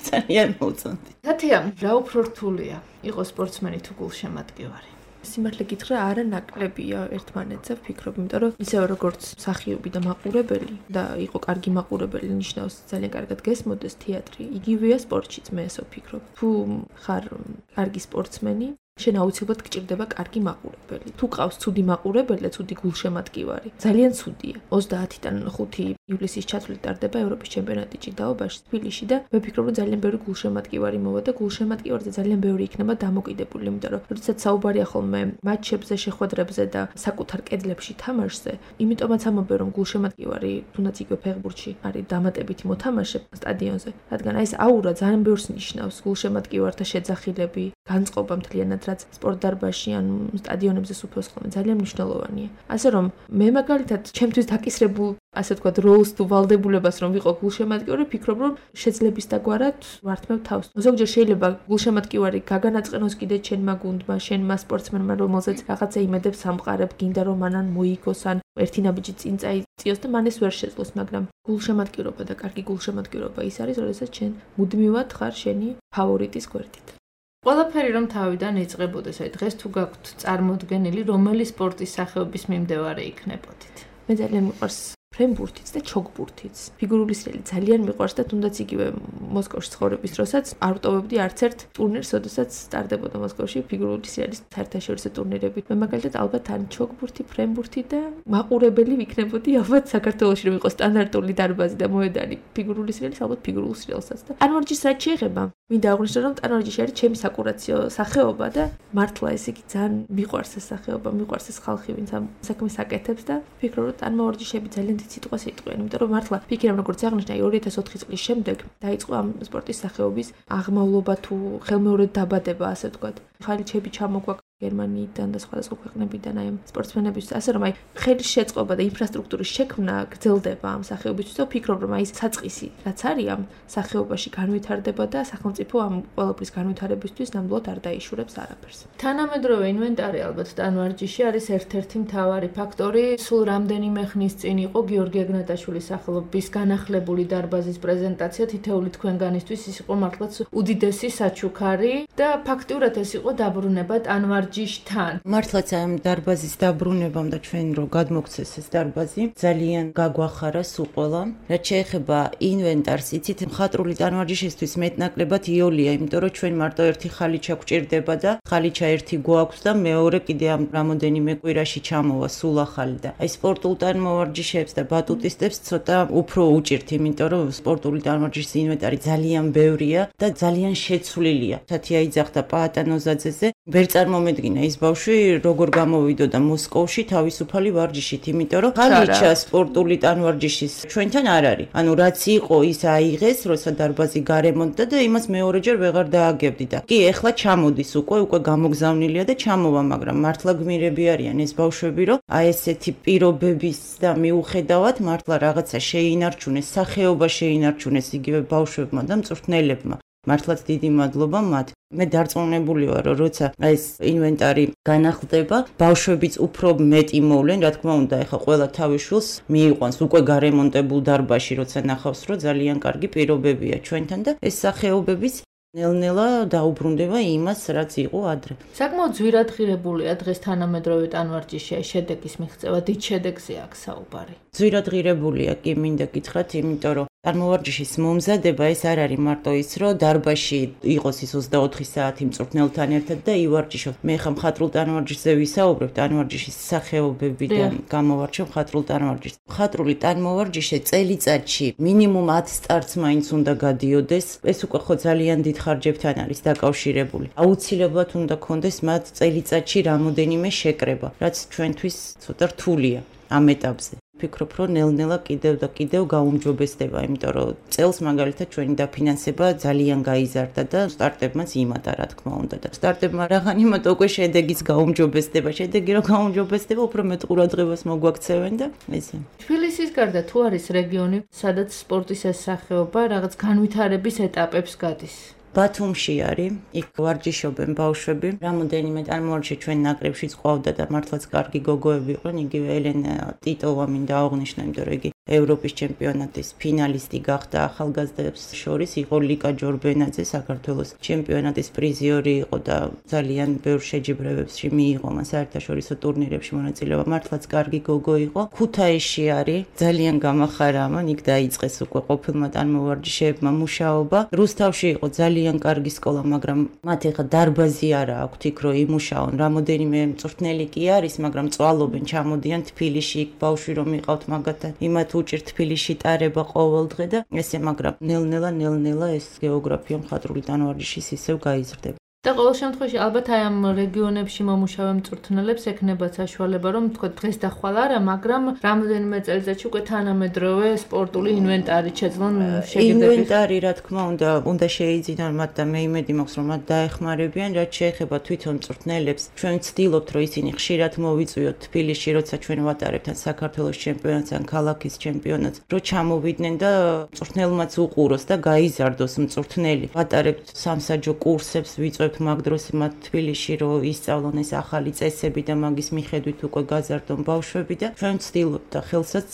ძალიან მოვწონდით. თათია, რა უფრო რთულია იყო სპორტსმენი თუ გულშემატკივარი? სიმართლე გითხრა, არა ნაკლებია ერთმანეთზე, ვფიქრობ, იმიტომ რომ ისევ როგორც მსახიობი და მაყურებელი და იყო კარგი მაყურებელი, ნიშნავს ძალიან კარგად გესმოდეს თეატრი, იგივეა სპორტშიც, მე ესე ვფიქრობ. თუ ხარ კარგი სპორტსმენი, შენ აუცილებლად გჭირდება კარგი მაყურებელი. თუ ყავს ცუდი მაყურებელი და ცუდი გულშემატკივარი, ძალიან ცუდია. 30-დან 5 ივლისის ჩათვლით ტარდება ევროპის ჩემპიონატი ჭიდაობაში, თბილისში და მე ვფიქრობ, რომ ძალიან ბევრი გულშემატკივარი მოვა და გულშემატკივარზე ძალიან ბევრი იქნება დამოკიდებული, იმიტომ რომ როდესაც საუბარია ხოლმე მატჩებზე, შეხვედრებზე და საკუთარ კედლებში თამაშზე, იმიტომაც ამბობენ, რომ გულშემატკივარი თუნდაც იგივე ფეხბურთში არის დამატებითი მოთამაშე სტადიონზე, რადგან აი ეს აურა ძალიან ბევრს ნიშნავს, გულშემატკივართა შეძახილები, განწყობა მთლიანად რაც სპორტ დარბაზში ან სტადიონებზე სუფევს ხოლმე ძალიან მნიშვნელოვანია. ასე რომ მე მაგალითად ჩემთვის დაკისრებულ ასე ვთქვათ როლს თუ ვალდებულებას რომ ვიყო გულშემატკივარი, ვფიქრობ რომ შეძლებისდაგვარად ვართმევ თავს. ზოგჯერ შეიძლება გულშემატკივარი გაგანაწყენოს კიდე ჩემმა გუნდმა, შენმა სპორტსმენმა, რომელზეც რაღაცა იმედებს სამყარებ, გინდა რომ მანან მოიგოს ან ერთი ნაბიჯი წინ წაიწიოს და მან ეს ვერ შეძლოს, მაგრამ გულშემატკივრობა და კარგი გულშემატკივრობა ის არის, როდესაც შენ მუდმივად ხარ შენი ფავორიტის გვერდით. ყველაფერი რომ თავიდან იწყებოდეს, აი დღეს თუ გაქვთ წარმოდგენილი, რომელი სპორტის სახეობის მიმდევარი იქნებოდით? მე ძალიან მიყვარს ფრენბურთიც და ჩოგბურთიც. ფიგურული სრიალი ძალიან მიყვარს და თუნდაც იგივე მოსკოვში ცხოვრების დროსაც არ ვტოვებდი არც ერთ ტურნირს, როდესაც სტარდებოდა მოსკოვში ფიგურული სრიალის საერთაშორისო ტურნირები. მე მაგალითად ალბათ ან ჩოგბურთი, ფრენბურთი და მაყურებელი ვიქნებოდი ალბათ საქართველოში რომ იყოს სტანდარტული დარბაზი და მოედანი ფიგურული სრიალის, ალბათ ფიგურულ სრიალსაც და ტანვარჯიშს რაც შეეხება, მინდა აღვნიშნო რომ ტანვარჯიში არის ჩემი საკურაციო სახეობა და მართლა ეს იგი ძალიან მიყვარს ეს სახეობა, მიყვარს ეს ხალხი, ვინც ამ საქმეს აკეთებს და ვფიქრობ რომ ტანვარჯიშები ძალიან სიტყვას იტყვიან, იმიტომ რომ მართლა ფიქრობ როგორც აღნიშნა 2004 წლის შემდეგ დაიწყო ამ სპორტის სახეობის აღმავლობა თუ ხელმეორედ დაბადება, ასე ვთქვათ. ხალიჩები ჩამოგვაქვს გერმანიიდან და სხვადასხვა ქვეყნებიდან აი ამ სპორტსმენებისთვის, ასე რომ აი ხელის შეწყობა და ინფრასტრუქტურის შექმნა გრძელდება ამ სახეობისთვის და ვფიქრობ რომ აი საწყისი რაც არის ამ სახეობაში განვითარდება და სახელმწიფო ამ ყველაფრის განვითარებისთვის ნამდვილად არ დაიშურებს არაფერს. თანამედროვე ინვენტარი ალბათ ტანვარჯიში არის ერთ-ერთი მთავარი ფაქტორი. სულ რამდენიმე ხნის წინ იყო გიორგი ეგნატაშვილის სახელობის განახლებული დარბაზის პრეზენტაცია, თითეული თქვენგანისთვის ის იყო მართლაც უდიდესი საჩუქარი და ფაქტიურად ეს იყო დაბრუნება ტანვარჯიშთან. მართლაც ამ დარბაზის დაბრუნებამ და ჩვენ რო გადმოგცეს ეს დარბაზი, ძალიან გაგვახარა სულ ყველამ. რაც შეეხება ინვენტარს, იცით, მხატვრული ტანვარჯიშისთვის მეტნაკლებად იოლია, იმიტომ რომ ჩვენ მარტო ერთი ხალიჩა გვჭირდება და ხალიჩა ერთი გვაქვს და მეორე კიდე ამ რამოდენიმე კვირაში ჩამოვა სულ ახალი და აი სპორტულ ტანვარჯიშებს და ბატუტისტებს ცოტა უფრო უჭირთ, იმიტომ რომ სპორტული ტანვარჯიშის ინვენტარი ძალიან ბევრია და ძალიან შეცვლილია. თათია იძახდა პაატანოზაძეზე, ვერ წარმომედგინა ის ბავშვი როგორ გამოვიდოდა მოსკოვში თავისუფალი ვარჯიშით, იმიტომ რომ ხალიჩა სპორტული ტანვარჯიშის ჩვენთან არ არის. ანუ რაც იყო ის აიღეს, როცა დარბაზი გარემონტდა და იმას მეორეჯერ ვეღარ დააგებდი და კი ეხლა ჩამოდის უკვე გამოგზავნილია და ჩამოვა, მაგრამ მართლა გმირები არიან ეს ბავშვები, რომ აი ესეთი პირობების და მიუხედავად მართლა რაღაცა შეინარჩუნეს, სახეობა შეინარჩუნეს იგივე ბავშვებმა და მწვრთნელებმა. მართლაც დიდი მადლობა მათ. მე დარწმუნებული ვარ, რომ როცა ეს ინვენტარი განახლდება, ბავშვებიც უფრო მეტი მოვლენ, რა თქმა უნდა, ეხა ყველა თავის შვილს მიიყვანს უკვე გარემონტებულ დარბაზში, როცა ნახავს, რომ ძალიან კარგი პირობებია ჩვენთან და ეს სახეობებიც ნელ-ნელა დაუბრუნდება იმას, რაც იყო ადრე. საკმაოდ ძვირადღირებულია დღეს თანამედროვე ტანვარჯიში შედეგის მიღწევა, დიდ შედეგზე აქვს საუბარი. ძვირადღირებულია, კი მინდა გითხრათ, იმიტომ რომ ტანვარჯიშის მომზადება ეს არ არის მარტო ის, რომ დარბაზში იყოს ის 24 საათი მწვრთნელთან ერთად და ივარჯიშოთ. მე ხა მხატვრულ ტანვარჯიშზე ვისაუბრებ, ტანვარჯიშის სახეობებიდან გამოვარჩევ მხატვრულ ტანვარჯიშს. მხატვრული ტანმოვარჯიშე წელიწადში მინიმუმ 10 სტარტს მაინც უნდა გადიოდეს. ეს უკვე ხო ძალიან დიდ ხარჯებთან არის დაკავშირებული. აუცილებლად უნდა კონდეს მათ წელიწადში რამოდენიმე შეკრება, რაც ჩვენთვის ცოტა რთულია ამ ეტაპზე. ვფიქრობ, რომ ნელ-ნელა კიდევ და კიდევ გაუმჯობესდება, იმიტომ რომ წელს მაგალითად ჩვენი დაფინანსება ძალიან გაიზარდა და სტარტებმაც იმატა, რა თქმა უნდა. და სტარტებმა რაღან იმატა, უკვე შედეგიც გაუმჯობესდება. შედეგი რომ გაუმჯობესდება, უფრო მეტ ყურადღებას მოგვაქცევენ და ესე. თბილისის გარდა თუ არის რეგიონი, სადაც სპორტის ეს სახეობა რაღაც განვითარების ეტაპებს გადის? ბათუმში არის, იქ ვარჯიშობენ ბავშვები. რამოდენიმე წარმოვარჯიშე ჩვენ ნაკრებშიც ყავდა და მართლაც კარგი გოგოები იყვნენ, იგივე ელენა ტიტოვა მინდა აღვნიშნო, იმიტომ რომ იგი ევროპის ჩემპიონატის ფინალისტი გახდა ახალგაზრდებს შორის, იყო ლიკა ჯორბენაძე საქართველოს ჩემპიონატის პრიზიორი იყო და ძალიან ბევრ შეჯიბრებებში მიიღო მას საერთაშორისო ტურნირებში მონაწილეობა. მართლაც კარგი გოგო იყო. ქუთაისში არის, ძალიან გამახარა ამან, იქ დაიწყეს უკვე ყოფილმა წარმოვარჯიშეებმა მუშაობა. რუსთავში იყო ძალიან კარგი სკოლა, მაგრამ მათ ეხა დარბაზი არა აქვთ იქ რომ იმუშაონ. რამოდენიმე მწვრთნელი კი არის, მაგრამ წვალობენ, ჩამოდიან თბილისში, იქ ბავშვი რომ იყავთ მაგათთან, იმათ უჭირთ თბილისში ტარება ყოველდღე და ესე, მაგრამ ნელ-ნელა ეს გეოგრაფია მხატვრული ტანვარჯიშის ისევ გაიზრდება. და ყოველ შემთხვევაში ალბათ აი ამ რეგიონებში მომუშავე მწვრთნელებს ექნებათ საშუალება რომ თქვა დღეს და ხვალ არა, მაგრამ რამოდენიმე წელიწადში უკვე თანამედროვე სპორტული ინვენტარი შეძლონ შეგირდებით. ინვენტარი რა თქმა უნდა შეიძინონ მათ და მე იმედი მაქვს რომ მათ დაეხმარებიან, რაც შეეხება თვითონ მწვრთნელებს. ჩვენ ვცდილობთ რომ ისინი ხშირად მოვიწვიოთ თბილისში, როცა ჩვენ ვატარებთ ან საქართველოს ჩემპიონატს ან ქალაქის ჩემპიონატს, რომ ჩამოვიდნენ და მწვრთნელმაც უყუროს და გაიზარდოს მწვრთნელი. ვატარებთ სამსაჯო კურსებს, ვიწვევთ მაგ დროს მათ თბილისში რომ ისწავლონ ეს ახალი წესები და მაგის მიხედვით უკვე გაზარდონ ბავშვები და ჩვენ ვცდილობთ და ხელსაც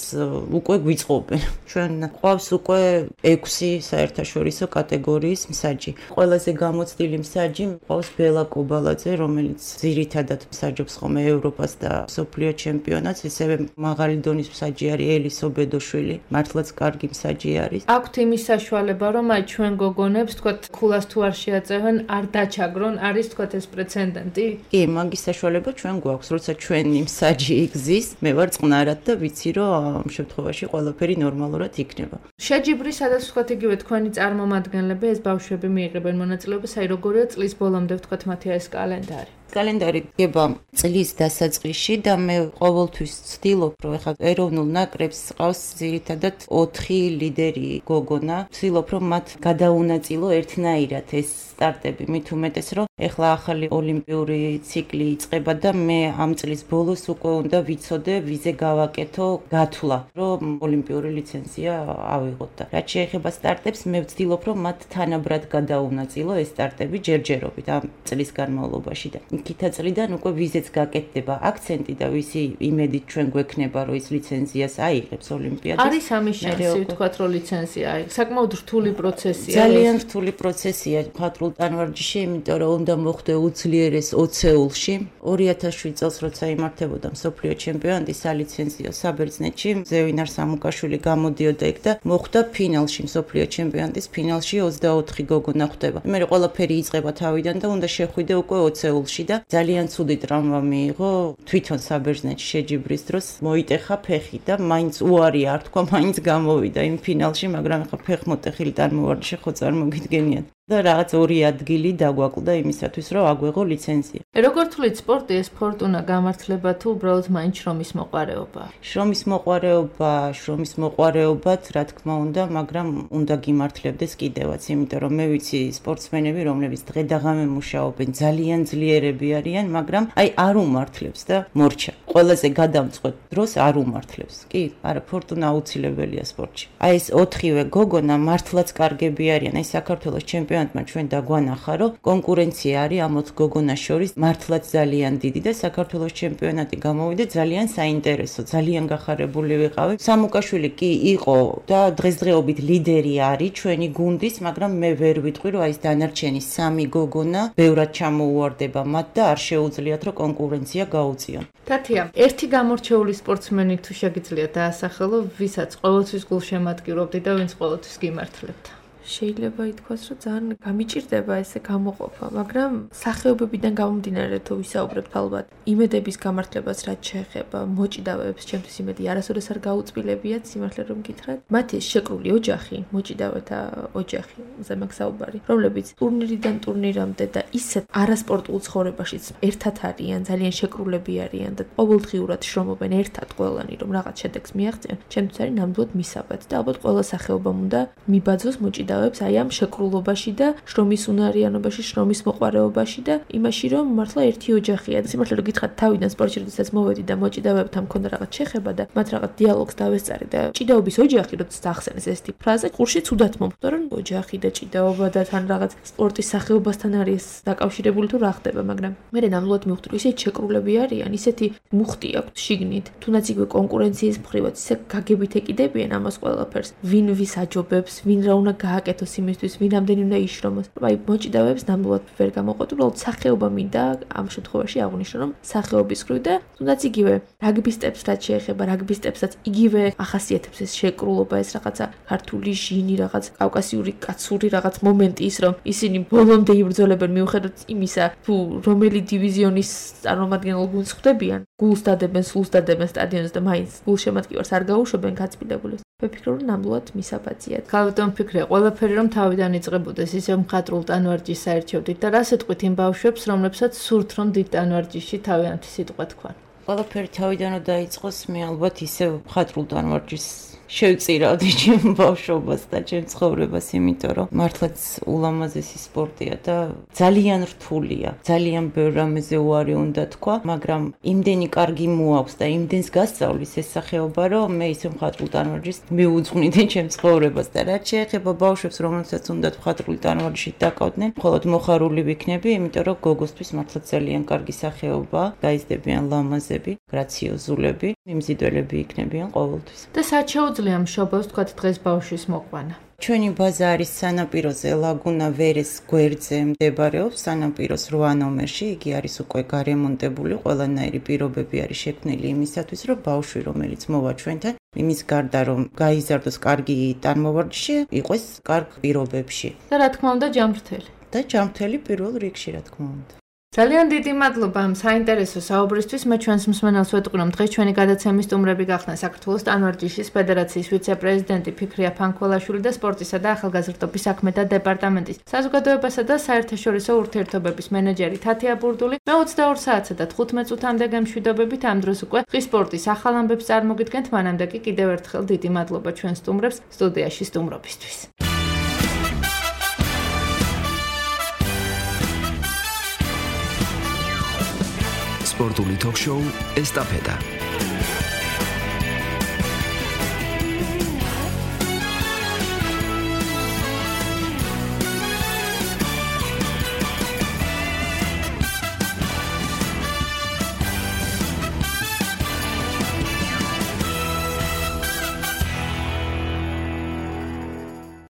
უკვე გვიწყობენ. ჩვენ ყავს უკვე 6 საერთაშორისო კატეგორიის მსაჯი. ყველაზე გამოცდილი მსაჯი ყავს ბელა კობალაძე, რომელიც ძირითადად მსაჯობს ხოლმე ევროპას და მსოფლიო ჩემპიონატს, ისევე მაღალი დონის მსაჯი არის ელისო ბედოშვილი, მართლაც კარგი მსაჯი არის. აქვთ იმის საშუალება რომ აი ჩვენ გოგონებს თქვა ქულას თუ არ შეაწევენ, არ დაჩაგრონ, არის თქვა ეს პრეცედენტი? კი, მაგის საშუალება ჩვენ გვაქვს, როცა ჩვენი მსაჯი იგზის, მე ვარ წყნარად და ვიცი რომ ამ შემთხვევაში ყველაფერი ნორმალურად იქნება. შეჯიბრი, სადაც თქვა იგივე თქვენი წარმომადგენლები ეს ბავშვები მიიღებენ მონაწილეობას, აი როგორია წლის ბოლომდე თქვა მათი ეს კალენდარი? კალენდარი დგება წლის დასაწყისში და მე ყოველთვის ვცდილობ, რომ ეხლა ეროვნულ ნაკრებს ყავს ძირითადად 4 ლიდერი გოგონა. ვცდილობ, რომ მათ გადაუნაწილო ერთნაირად ეს სტარტები, მით უმეტეს, რომ ეხლა ახალი ოლიმპიური ციკლი იწყება და მე ამ წლის ბოლოს უკვე უნდა ვიცოდე, ვიზე გავაკეთო გათვლა, რომ ოლიმპიური ლიცენზია ავიღოთ და რაც შეეხება სტარტებს, მე ვცდილობ, რომ მათ თანაბრად გადაუნაწილო ეს სტარტები ჯერჯერობით ამ წლის განმავლობაში და იქითა წლიდან უკვე ვიზეც გაკეთდება აქცენტი და ვისი იმედით ჩვენ გვექნება რომ ის ლიცენზიას აიღებს ოლიმპიადას. არის ამის შანსი ვთქვათ რომ ლიცენზია აიღოს. საკმაოდ რთული პროცესია. ძალიან რთული პროცესია მხატვრულ ტანვარჯიშში, იმიტომ რომ უნდა მოხდე უძლიერეს ოცეულში. 2007 წელს როცა იმართებოდა მსოფლიო ჩემპიონატი სალიცენზიო საბერძნეთში, ზევინარ სამუკაშვილი გამოდიოდა იქ და მოხდა ფინალში, მსოფლიო ჩემპიონატის ფინალში 24 გოგონა ხვდება. მე ყველაფერი იწყება თავიდან და უნდა შეხვიდე უკვე ოცეულში და ძალიან ცუდი ტრავმა მიიღო თვითონ საბერძნეთში შეჯიბრის დროს მოიტეხა ფეხი და მაინც უარი არ თქვა, მაინც გამოვიდა იმ ფინალში, მაგრამ ახლა ფეხმოტეხილი წარმოვარჯიშე ხო წარმოგიდგენიათ. და რაღაც 2 ადგილი დაგვაკლდა იმისათვის, რომ აგვეღო ლიცენზია. როგორ თვლით სპორტი ეს ფორტუნა გამართლება თუ უბრალოდ მაინც შრომის მოყვარეობა? შრომის მოყვარეობაც, რა თქმა უნდა, მაგრამ უნდა გიმართლებდეს კიდევაც, იმიტომ რომ მე ვიცი სპორტსმენები, რომლებიც დღე და ღამე მუშაობენ, ძალიან ძლიერები არიან, მაგრამ აი არ უმართლებს და მორჩა. ყველაზე გადამწყვეტ დროს არ უმართლებს. კი, არა, ფორტუნა აუცილებელია სპორტში. აი ეს 4-ვე გოგონა მართლაც კარგები არიან, აი საქართველოს ჩემპიონატმა ჩვენ დაგვანახა, რომ კონკურენცია არის ამ 4 გოგონას შორის მართლაც ძალიან დიდი და საქართველოს ჩემპიონატი გამოვიდა ძალიან საინტერესო, ძალიან გახარებული ვიყავი. სამუკაშვილი კი იყო და დღესდღეობით ლიდერი არის ჩვენი გუნდის, მაგრამ მე ვერ ვიტყვი, რომ აი ეს დანარჩენი 3 გოგონა ბევრად ჩამოუვარდება მათ და არ შეუძლიათ, რომ კონკურენცია გაუწიონ. თათია, ერთი გამორჩეული სპორტსმენი თუ შეგიძლიათ დაასახელო, ვისაც ყოველთვის გულშემატკივრობდი და ვინც ყოველთვის გიმართლებთ? შეიძლება ითქვას, რომ ძალიან გამიჭირდება ესე გამოყოფა, მაგრამ სახეობებიდან გამომდინარე თუ ვისაუბრებთ ალბათ, იმედების გამართლებას რაც შეეხება მოჭიდავეებს, ჩემთვის იმედი არასოდეს არ გაუწბილებიათ, სიმართლე რომ გითხრათ. მათი შეკრული ოჯახი, მოჭიდავეთა ოჯახი, ზემაგ საუბარი, რომლებიც ტურნირიდან ტურნირამდე და ისეთ არასპორტულ ცხოვრებაშიც ერთად არიან, ძალიან შეკრულები არიან და ყოველდღიურად შრომობენ ერთად ყველანი, რომ რაღაც შედეგს მიაღწიონ, ჩემთვის არის ნამდვილად მისაბად და ალბათ ყველა სახეობამ უნდა მიბაძოს მოჭიდავე მოჭიდავებს აი ამ შეკრულობაში და შრომის უნარიანობაში, შრომის მოყვარეობაში და იმაში, რომ მართლა ერთი ოჯახია. სიმართლე რომ გითხრათ, თავიდან სპორტში როდესაც მოვედი და მოჭიდავებთან მქონდა რაღაც შეხება და მათ რაღაც დიალოგს დავესწარი და ჭიდაობის ოჯახი როდესაც ახსენეს ესეთი ფრაზა, ყურში ცუდად მომხვდა, რომ ოჯახი და ჭიდაობა და თან რაღაც სპორტის სახეობასთან არის დაკავშირებული თუ რა ხდება, მაგრამ მე ნამდვილად მივხვდი, რომ ისეთი შეკრულები არიან, ისეთი მუხტი აქვს შიგნით, თუნდაც იგივე კონკურენციის მხრივაც ისე გაგებით ეკიდებიან ამას ყველაფერს. ვინ ვის აჯობებს, ვინ რა უნდა გააკეთოს იმისთვის, ვინ ამდენი უნდა იშრომოს. აი მოჭიდავებს ნამდვილად ვერ გამოყვეთ, უბრალოდ სახეობა მინდა ამ შემთხვევაში აღვნიშნო, რომ სახეობის მხრივ და თუნდაც იგივე რაგბისტებს რაც შეეხება, რაგბისტებსაც იგივე ახასიათებს ეს შეკრულობა, ეს რაღაცა ქართული ჟინი, რაღაც კავკასიური კაცური რაღაც მომენტი ის, რომ ისინი ბოლომდე იბრძოლებენ მიუხედავად იმისა, თუ რომელი დივიზიონის წარმომადგენელ გუნდს ხვდებიან, გულს დადებენ, სულს დადებენ სტადიონზე და მაინც გულშემატკივარს არ გაუშვებენ გაწმიდებული. ვფიქრობ, რომ ნამდვილად მისაბაძიათ. გავდომ ფიქრე, ყველაფერი რომ თავიდან იწყებოდეს ისე მხატვრულ ტანვარჯიშს საერთოდ და რას ეთყვით იმ ბავშვებს, რომლებსაც სურთ რომ დიდ ტანვარჯიშში თავიანთი სიტყვა თქვან. ყველაფერი თავიდან დაიწყოს, მე ალბათ ისე მხატვრულ ტანვარჯიშს შევწირავდი ჩემ ბავშვობას და ჩემ ცხოვრებას, იმიტომ რომ მართლაც ულამაზესი სპორტია და ძალიან რთულია. ძალიან ბევრ რამეზე უარი უნდა თქვა, მაგრამ იმდენი კარგი მოაქვს და იმდენს გასწავლის ეს სახეობა, რომ მე ისე მხატვრულ ტანვარჯიშს მიუძღვნიდი ჩემ ცხოვრებას და რაც შეეხება ბავშვებს, რომელსაც უნდათ მხატვრული ტანვარჯიშით დაკავდნენ, მხოლოდ მოხარული ვიქნები, იმიტომ რომ გოგოსთვის მართლაც ძალიან კარგი სახეობა, გაიზრდებიან ლამაზები, გრაციოზულები, მიმზიდველები იქნებიან ყოველთვის. და სად შეუძლია მშობელს თქვათ დღეს ბავშვის მოყვანა? ჩვენი ბაზა არის სანაპიროზე, ლაგუნა ვერეს გვერდზე მდებარეობს, სანაპიროს 8 ნომერში, იგი არის უკვე გარემონტებული, ყველანაირი პირობები არის შექმნილი იმისათვის, რომ ბავშვი, რომელიც მოვა ჩვენთან, იმის გარდა რომ გაიზარდოს კარგი ტანმოვარჯიში, იყოს კარგ პირობებში. და რა თქმა უნდა ჯანმრთელი. და ჯანმრთელი პირველ რიგში, რა თქმა უნდა. ძალიან დიდი მადლობა ამ საინტერესო საუბრისთვის. მე ჩვენს მსმენელს ვეტყვი, რომ დღეს ჩვენი გადაცემის სტუმრები გახდნენ საქართველოს ტანვარჯიშის ფედერაციის ვიცე-პრეზიდენტი ფიქრია ფანქველაშვილი და სპორტისა და ახალგაზრდობის საქმეთა დეპარტამენტის საზოგადოებასა და საერთაშორისო ურთიერთობების მენეჯერი თათია ბურდული. მე 22 საათსა და 15 წუთამდე გემშვიდობებით ამ დროს უკვე ხის სპორტის ახალ ამბებს წარმოგიდგენთ. მანამდე კი კიდევ ერთხელ დიდი მადლობა ჩვენ სტუმრებს სტუდიაში სტუმრობისთვის. სპორტული ток-შოუ ესტაფეტა